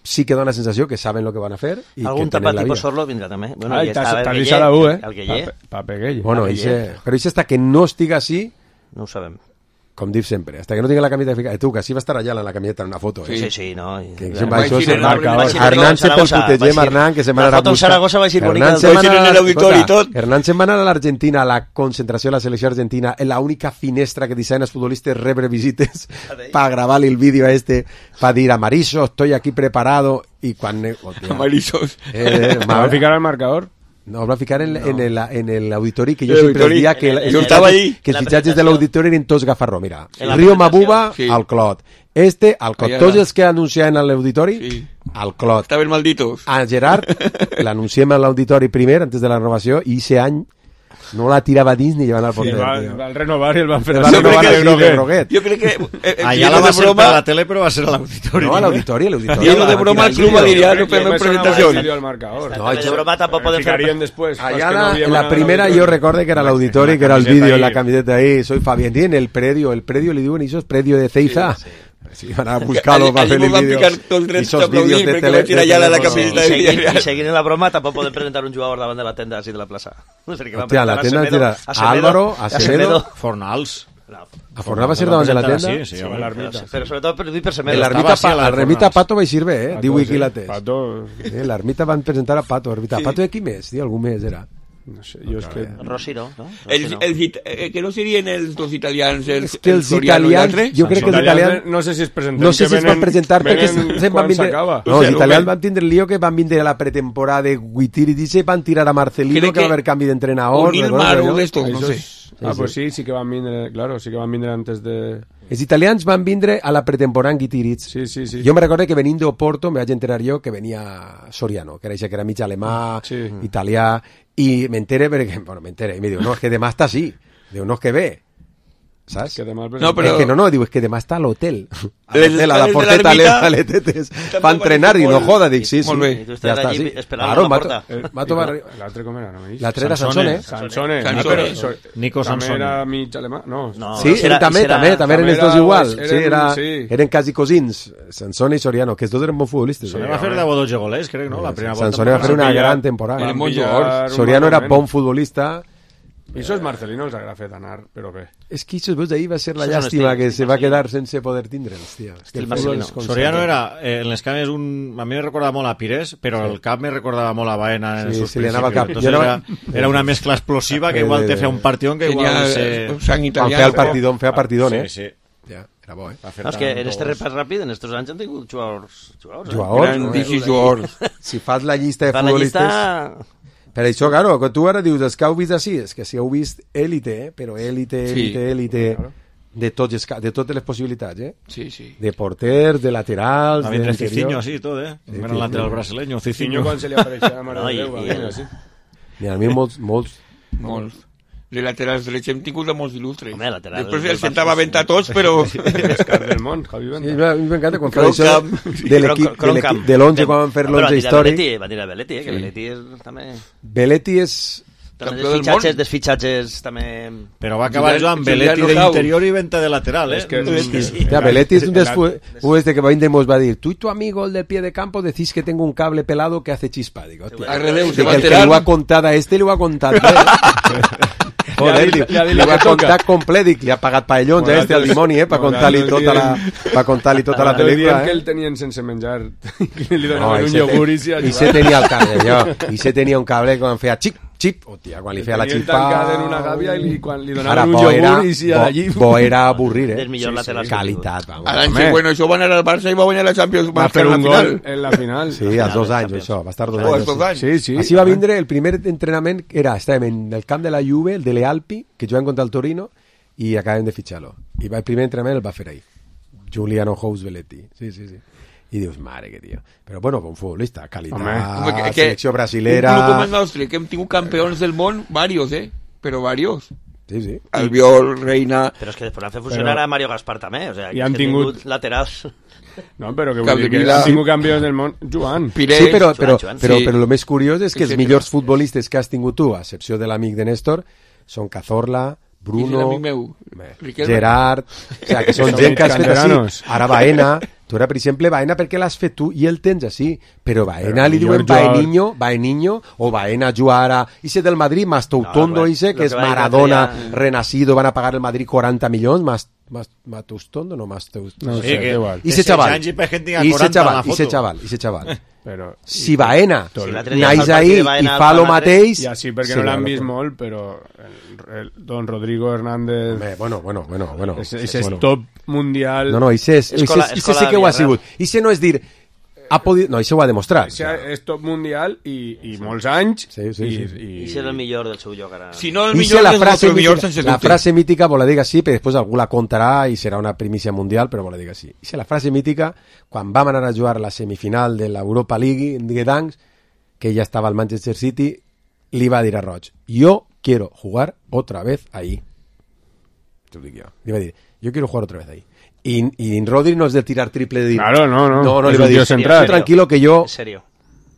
sí que dona la sensació que saben lo que van a fer i algun que tapat tipus Sorlo vindrà també. Bueno, ah, estava el Guillé, eh? el Guillé. Pape Guille. Bueno, ixe, però això està que no estiga així, no ho sabem. Com dic sempre, hasta que no tinga la camiseta fica... Tu, que sí va estar allà en la camiseta en una foto. Sí, sí, sí, no. Que això se marca. Hernán se pel putegem, Hernán, que se va anar a buscar. La foto en Saragossa va ser bonica. Hernán se'n va anar a l'Argentina, a la concentració de la selecció argentina, en la única finestra que deixaven els futbolistes rebre visites para gravar el vídeo a este, para dir, Amariso, estoy aquí preparado, y quan... Amarisos. ¿Me va a ficar al marcador? No, va a ficar en, no. en, el, en el auditori, que jo el sempre auditori, dia que, el, el, el, estava el, que els fitxatges de l'auditori eren tots gafarró. Mira, Río Mabuba, sí. Al Clot. Este, al Clot. Tots els que anunciaven a l'auditori, sí. Al Clot. Estaven malditos. A Gerard, l'anunciem a l'auditori primer, antes de la renovació, i ese any no la tirava dins ni llevant al porter. Sí, va, va el renovar i el van fer el va renovar el de Groguet. Jo crec que... Eh, allà la va ser per la tele, però va ser a l'auditori. No, a l'auditori, a l'auditori. I de broma el club va dir, ja no fem presentació. No, de broma tampoc podem fer... Allà la primera jo recorde que era l'auditori, que era el vídeo en la camiseta ahí, soy Fabián, en el predio, el predio li diuen, això és predio de Ceiza. Sí, van a buscar-lo per fer el vídeo. I esos vídeos de tele... I seguint la broma, tampoc podem presentar un jugador davant de la tenda així de la plaça. Hòstia, la tenda era Álvaro, Acevedo... Fornals. A Fornals va ser davant de la tenda? Sí, sí, l'ermita. Però sobretot per dir per Semedo. L'ermita Pato va eixir bé, eh? Diu aquí la tes. Pato... L'ermita van presentar a Pato. Pato de qui més? Algú més era. No sé, jo és que... Rossi, no? Els, els, eh, que no serien els dos italians, els, és que els italians, jo crec que els italians... No sé si es presenten. No sé si es van presentar perquè van vindre... No, els italians van tindre el lío que van vindre a la pretemporada de Guitiri, dice, van tirar a Marcelino, que va haver canvi d'entrenador... Un Ilmar, un d'estos, no sé. Ah, pues sí, sí que van vindre, claro, sí que van vindre antes de... Els italians van vindre a la pretemporada en Guitiritz. Sí, sí, sí. Jo me recordo que venint d'Oporto me vaig enterar jo que venia Soriano, que era això que era mig alemà, sí. italià, i m'entere perquè, bueno, m'entere, i me diu, no, és que demà està així. Diu, no, és que ve. ¿Sabes? Que demà no, però... Es que no, no, digo, es que demà està a l'hotel. A l'hotel, a la porteta, a l'Etetes. Va entrenar i no joda, dic, sí, sí. Molt bé. I tu estàs allí esperant a la porta. L'altre com era, no m'he dit? L'altre era Sansone. Sansone. Nico Sansone. També era mig alemà? No. Sí, també, també, també eren els dos igual. Sí, eren quasi cosins. Sansone i Soriano, que els dos eren bons futbolistes. Sansone va fer deu o dotze golers, crec, no? La primera volta. Sansone va fer una gran temporada. Soriano era bon futbolista. I això és Marcelino els agrada fer d'anar, però bé. És que això, veus, ahir va ser la llàstima que se va quedar sense poder tindre'ls, tia. Soriano era, eh, en les cames, un... a mi me recordava molt a Pires, però sí. El cap me recordava molt a Baena en sí, els seus sí, principis. Cap. Entonces era, era una mescla explosiva que igual te feia un partidón que igual se... Sang italià. Feia el partidón, feia partidón, eh? Sí, sí. Ja, era bo, eh? No, és que en este repàs ràpid, en estos anys han tingut jugadors... Jugadors, jugadors, jugadors. Si fas la llista de futbolistes... Per això, claro, quan tu ara dius els que heu vist així, és que si heu vist élite, eh? Però élite, élite, sí. élite, claro. de, tots, de totes les possibilitats, eh? Sí, sí. De porters, de laterals, de l'interior. Cicinho, sí, tot, eh? Sí, el lateral brasileño, Cicinho. Quan se li apareixia a Mare de Déu, va venir així. Mira, a mi molts, molts... Molts. De laterals drets hem tingut de molts il·lustres. Home, lateral... Després els sentava vent a tots, però... L'escar del món, Javi Venta. Sí, a mi m'encanta quan fa això de l'equip, de l'onze, quan van fer l'onze històric. Va dir a Belletti, eh, que Belletti és també... Belletti és... També dels fitxatges, dels fitxatges també... Però va acabar jugant Belletti d'interior i Venta de lateral, eh? Belletti és un dels jugadors que va vindre i mos va dir, tú y tu amigo el del pie de campo decís que tengo un cable pelado que hace chispa. Digo, hostia, el que li ho ha contat a este li ho ha contat. Joder, li, li, li va contar complet i li ha pagat paellons a este al dimoni, eh, per contar-li tota la per contar-li tota la pel·lícula, eh. Que el tenien sense menjar, li donaven un iogurt i s'hi i se tenia el cable, jo, i se tenia un cable quan feia xip, xip, hòstia, quan li feia la xispa... tancat en una gàbia i quan li donaven un iogurt i s'hi allí... Bo era avorrir, eh. Del millor lateral. Qualitat, vamos. L'any següent això va anar al Barça i va guanyar la Champions. Va fer un gol en la final. Sí, als dos anys, això, va estar dos anys. Sí, sí. Així va vindre el primer entrenament, era, estàvem en el camp de la Juve, el de l'Ealpi, que juguen contra el Torino, i acabem de fitxar-lo. I el primer entrenament el va fer ahí. Giuliano House Belletti. Sí, sí, sí. I dius, mare que tio. Però bueno, bon futbolista, qualitat, home, que, que, selecció brasilera... Un club com el nostre, que hem tingut campions del món, varios, eh? Però varios. Sí, sí. Albiol, Reina... Però és que després han fet funcionar però... a Mario Gaspar també, o sigui, I han tingut... tingut laterals... No, però que vull dir que han tingut campions del món, Joan. Pires, sí, però, però, Joan, però, sí. però el més curiós és que els millors futbolistes que has tingut tu, a excepció de l'amic de Néstor, són Cazorla, Bruno, Gerard... O sigui, que són gent que has fet així. Ara Baena... Tu ara, per exemple, Baena perquè l'has fet tu i el tens així, però Baena li diuen Baeniño, Baeniño, o Baena Juara, ese del Madrid, Mastoutondo, ese, que és Maradona, renacido, van a pagar el Madrid cuarenta milions, más Matustondo, no Mastoutondo. No sé, que igual. I ese chaval, i ese chaval, i ese chaval, i ese chaval. Però, si Baena naix ahí i fa lo mateix... Ja sí, perquè no l'han vist molt, però el, el Don Rodrigo Hernández... Home, bueno, bueno, bueno, bueno. Ese és top mundial... No, no, ese sí que ho ha sigut. Ese no és dir... Ha podit... No, això ho ha demostrat. Ese és top mundial i, i molts anys... Sí, sí, sí. I, i... I ser el millor del seu lloc ara... Si no el millor, la frase mítica, millor sense la frase mítica vos la diga sí, però després algú la contarà i serà una primícia mundial, però vos la diga sí. I la frase mítica, quan vam anar a jugar la semifinal de l'Europa League en Gdansk, que ja estava al Manchester City, li va dir a Roig, jo quiero jugar otra vez ahí. Te lo digo yo. Iba a decir, yo quiero jugar otra vez ahí. Y, y Rodri no es de tirar triple de... Claro, no, no. No, no es le iba a decir, central. tranquilo que yo... En serio.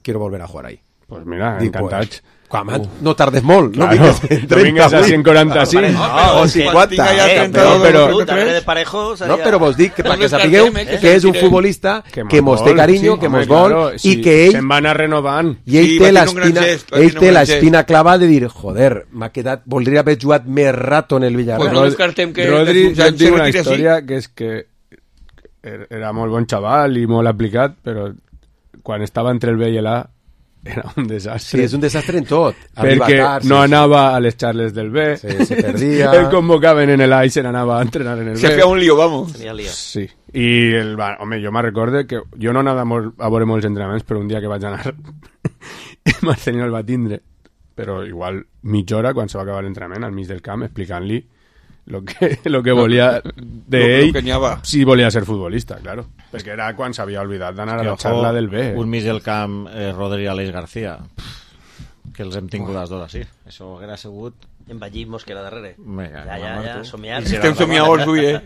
Quiero volver a jugar ahí. Pues mira, Dic, encantats. Pues, quan, no tardes molt, claro, no vingues en no vingues a cent quaranta-cinc. No, o cinquanta. Eh, no, però, de parejo seria... no, però vos dic que perquè sapigueu eh, que és un futbolista que, que mos té carinyo, sí, que mos vol, claro, i que ell... Se'n va anar renovant. I ell Sí, té va l'espina tenir un gran gest, va ell tenir té un gran l'espina clavada de dir, joder, m'ha quedat... Voldria haver jugat més rato en el Villarreal. Pues no descartem que... Rodri, ja jo tinc una història que és que era molt bon xaval i molt aplicat, però quan estava entre el B i l'A era un desastre. Sí, és un desastre en tot. Perquè tard, no sí, anava a les charles del B. Sí, se perdia. El convocaven en el A i se n'anava a entrenar en el Se B. feia un lío, vamos. Sí. I, el, va, home, jo me'n recorde que jo no anava molt, a veure molts entrenaments, però un dia que vaig anar Marcelino el va tindre, però igual mitja hora quan se va acabar l'entrenament al mig del camp explicant-li lo que, lo que volia d'ell, si volia ser futbolista, claro. Perquè era quan s'havia oblidat d'anar a la xarla del B. Un mig del camp, eh, Rodri Aleix García, que els hem tingut les dues, sí. Això hauria sigut... Envallit Mosquera darrere. Vinga, ja, ja, ja, somiar. Estem somiadors, avui, eh?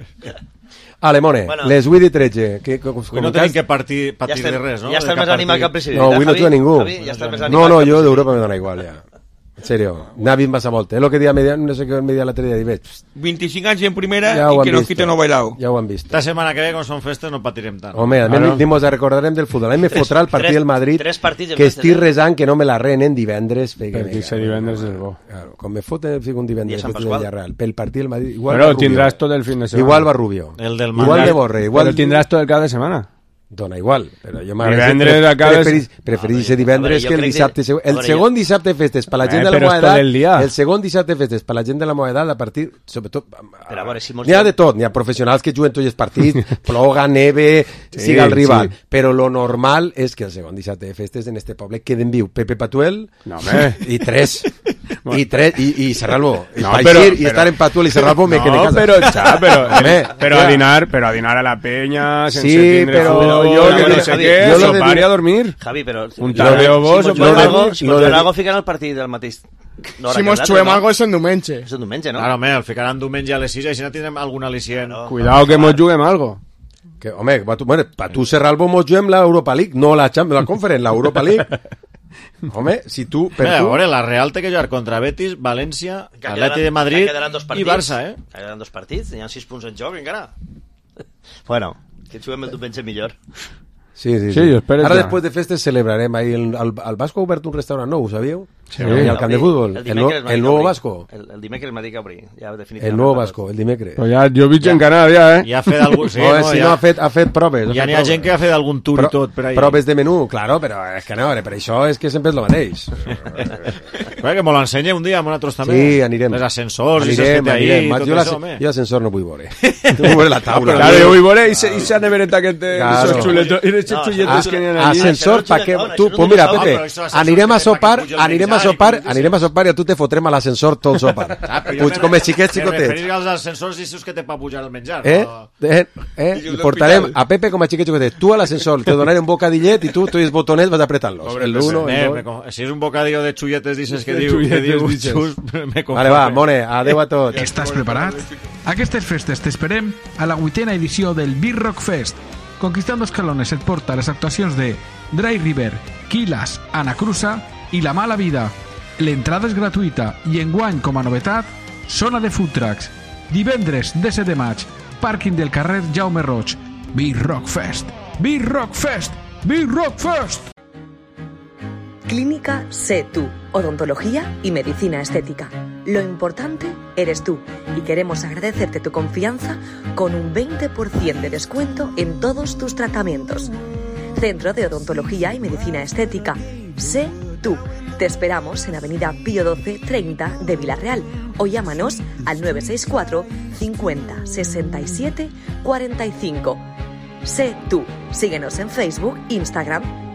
Alemone, Bueno. les vuit i tretze. Que, que, Avui no tenim que partir, patir Ja estem- de res, no? ja estàs De més cap animat que el partit. president. No, avui no Javi? tu a ningú. Javi, ja estàs més No, animat no, que el jo president. d'Europa me dona igual, ja. En serio, Navi em passa molt. És el que dia media, no sé què media l'altre dia, dic, vint-i-cinc anys en primera ja ho i que han no vist. quiten no bailao. Ja ho han vist. Esta setmana que ve, com són festes, no patirem tant. Home, a Claro. mi mos recordarem del futbol. A mi me Tres- fotrà el partit tres- del Madrid, tres partits en que festes, estic eh? resant que no me la renen divendres. Perquè Perquè ser divendres és bo. Claro, com me foten fico un I a divendres Sant festes del Pasqual. Villarreal. Pel partit del Madrid, igual Però va Rubio. tindràs tot el fin de setmana. Igual va Rubio. El del Igual Madrid. de Borre. Igual Però tindràs tot el cap de setmana. Dona igual, però jo Divendres a cada- preferís, preferís ser divendres jo que el crec que- dissabte següent. a El veure, segon dissabte de festes per la Eh, gent de la però és meva tot edat, el dia. el segon dissabte de festes per la gent de la meva edat, a partir, sobretot, Però a veure, si mos n'hi ha diem- de tot, n'hi ha professionals que juguen tots els partits, ploga, neve, Sí, siga el rival, sí. però lo normal és que el segon dissabte de festes en este poble queden viu Pepe Patuel No, home. i tres, i tres, i, i Serralbo. No, Pa però- eixir i però- estar en Patuel i Serralbo me quedé en No, casa. però, xa, però, Home, però, ja. a dinar, però a dinar a la penya, sense Sí, tindre però fútbol, jo que que no dic, sé Javi, què, jo lo de sopar i dir- a dormir. Javi, però... Un tardeo bo, si mos sopar juguem i algo, dormir. si Lo mos de- juguem algo, ficaran el partit del mateix... No, Si mos xuem algo és en diumenge. És un diumenge, no? Claro, home, el ficaran diumenge a les sis, així no tindrem algun al·licient. Claro. Cuidao que mos juguem algo. Que, home, pa tu, bueno, pa tu Serralbo mos juguem la Europa League, no la Champions, la Conference, la Europa League. Home, si tu, per Mira, a tu... veure, la Real té que jugar contra Betis, València, Que Atleti de quedaran- Madrid que quedaran dos i partits, Barça, eh? Que quedaran dos partits, hi ha sis punts en joc encara. Bueno, que juguem el diumenge millor. Sí, sí, Sí, sí. espera't Ara ja. després de festes celebrarem ahí el, el, el Vasco ha obert un restaurant nou, ho sabíeu? Sí. Ahí al camp de futbol. El El, no, dimecres m'ha el dit nuevo obrir. Vasco. El, el dimecres m'ha dit que obrir. Ja, definitivament. El nuevo Vasco, el dimecres. Però ja, jo veig en Canadà, ja, eh? Ja ha fet algun... Sí, Sí, no, no, si ja, no, ha fet, ha fet proves. ja n'hi ha gent que ha fet algun tour i tot per ahí. Proves de menú, claro, però és que no, per això és que sempre és el mateix. Bé, que me l'ensenya un dia, a nosaltres també. Sí, anirem. Els ascensors, i Anirem, s'ha fet ahí, anirem. tot Jo això, l'as- home. jo l'ascensor no vull veure. No vull veure la taula. Claro, jo vull veure i s'ha nevereta que té Claro. esos chuletos, i esos No, xulletes això- que n'hi ha allí. Ascensor, Això no pa que... és un Tu, dinosaurio, pues mira, això no és un Pepe, dinosaurio, això és anirem a ascensor que sopar, puja el anirem a menjar i sopar, com dices. anirem a sopar i a tu te fotrem a l'ascensor tot el sopar. Ah, però jo Puig me- com els xiquets me xicotets. referia als ascensors i esos que té per pujar el menjar. Eh? no? Eh? Eh? I portarem a Pepe com a xiquet xicotet. Tu a l'ascensor, te donaré un bocadillet i tu, tu i els botonets vas apretant-los. El uno, Eh, el me dos... co- si és un bocadillo de xulletes, dices que De diu, que xulletes, diu dices. xus, me conforme. Vale, va, Mone, adeu a tots. Estàs preparat? Aquestes festes t'esperem a la vuitena edició del Big Rock Fest. Conquistando Escalones et porta les actuacions de Dry River, Quilas, Anacruza i La Mala Vida. L'entrada és gratuïta i enguany, com a novetat, zona de food trucks. Divendres, disset de maig, pàrquing del carrer Jaume Roig. Big Rock Fest! Big Rock Fest! Big Rock Fest! Clínica Sé Tú, odontología y medicina estética. Lo importante eres tú y queremos agradecerte tu confianza con un veinte por ciento de descuento en todos tus tratamientos. Centro de Odontología y Medicina Estética. Sé Tú. Te esperamos en Avenida Pío doce treinta de Villarreal o llámanos al nueve seis cuatro cincuenta sesenta y siete cuarenta y cinco. Sé Tú. Síguenos en Facebook, Instagram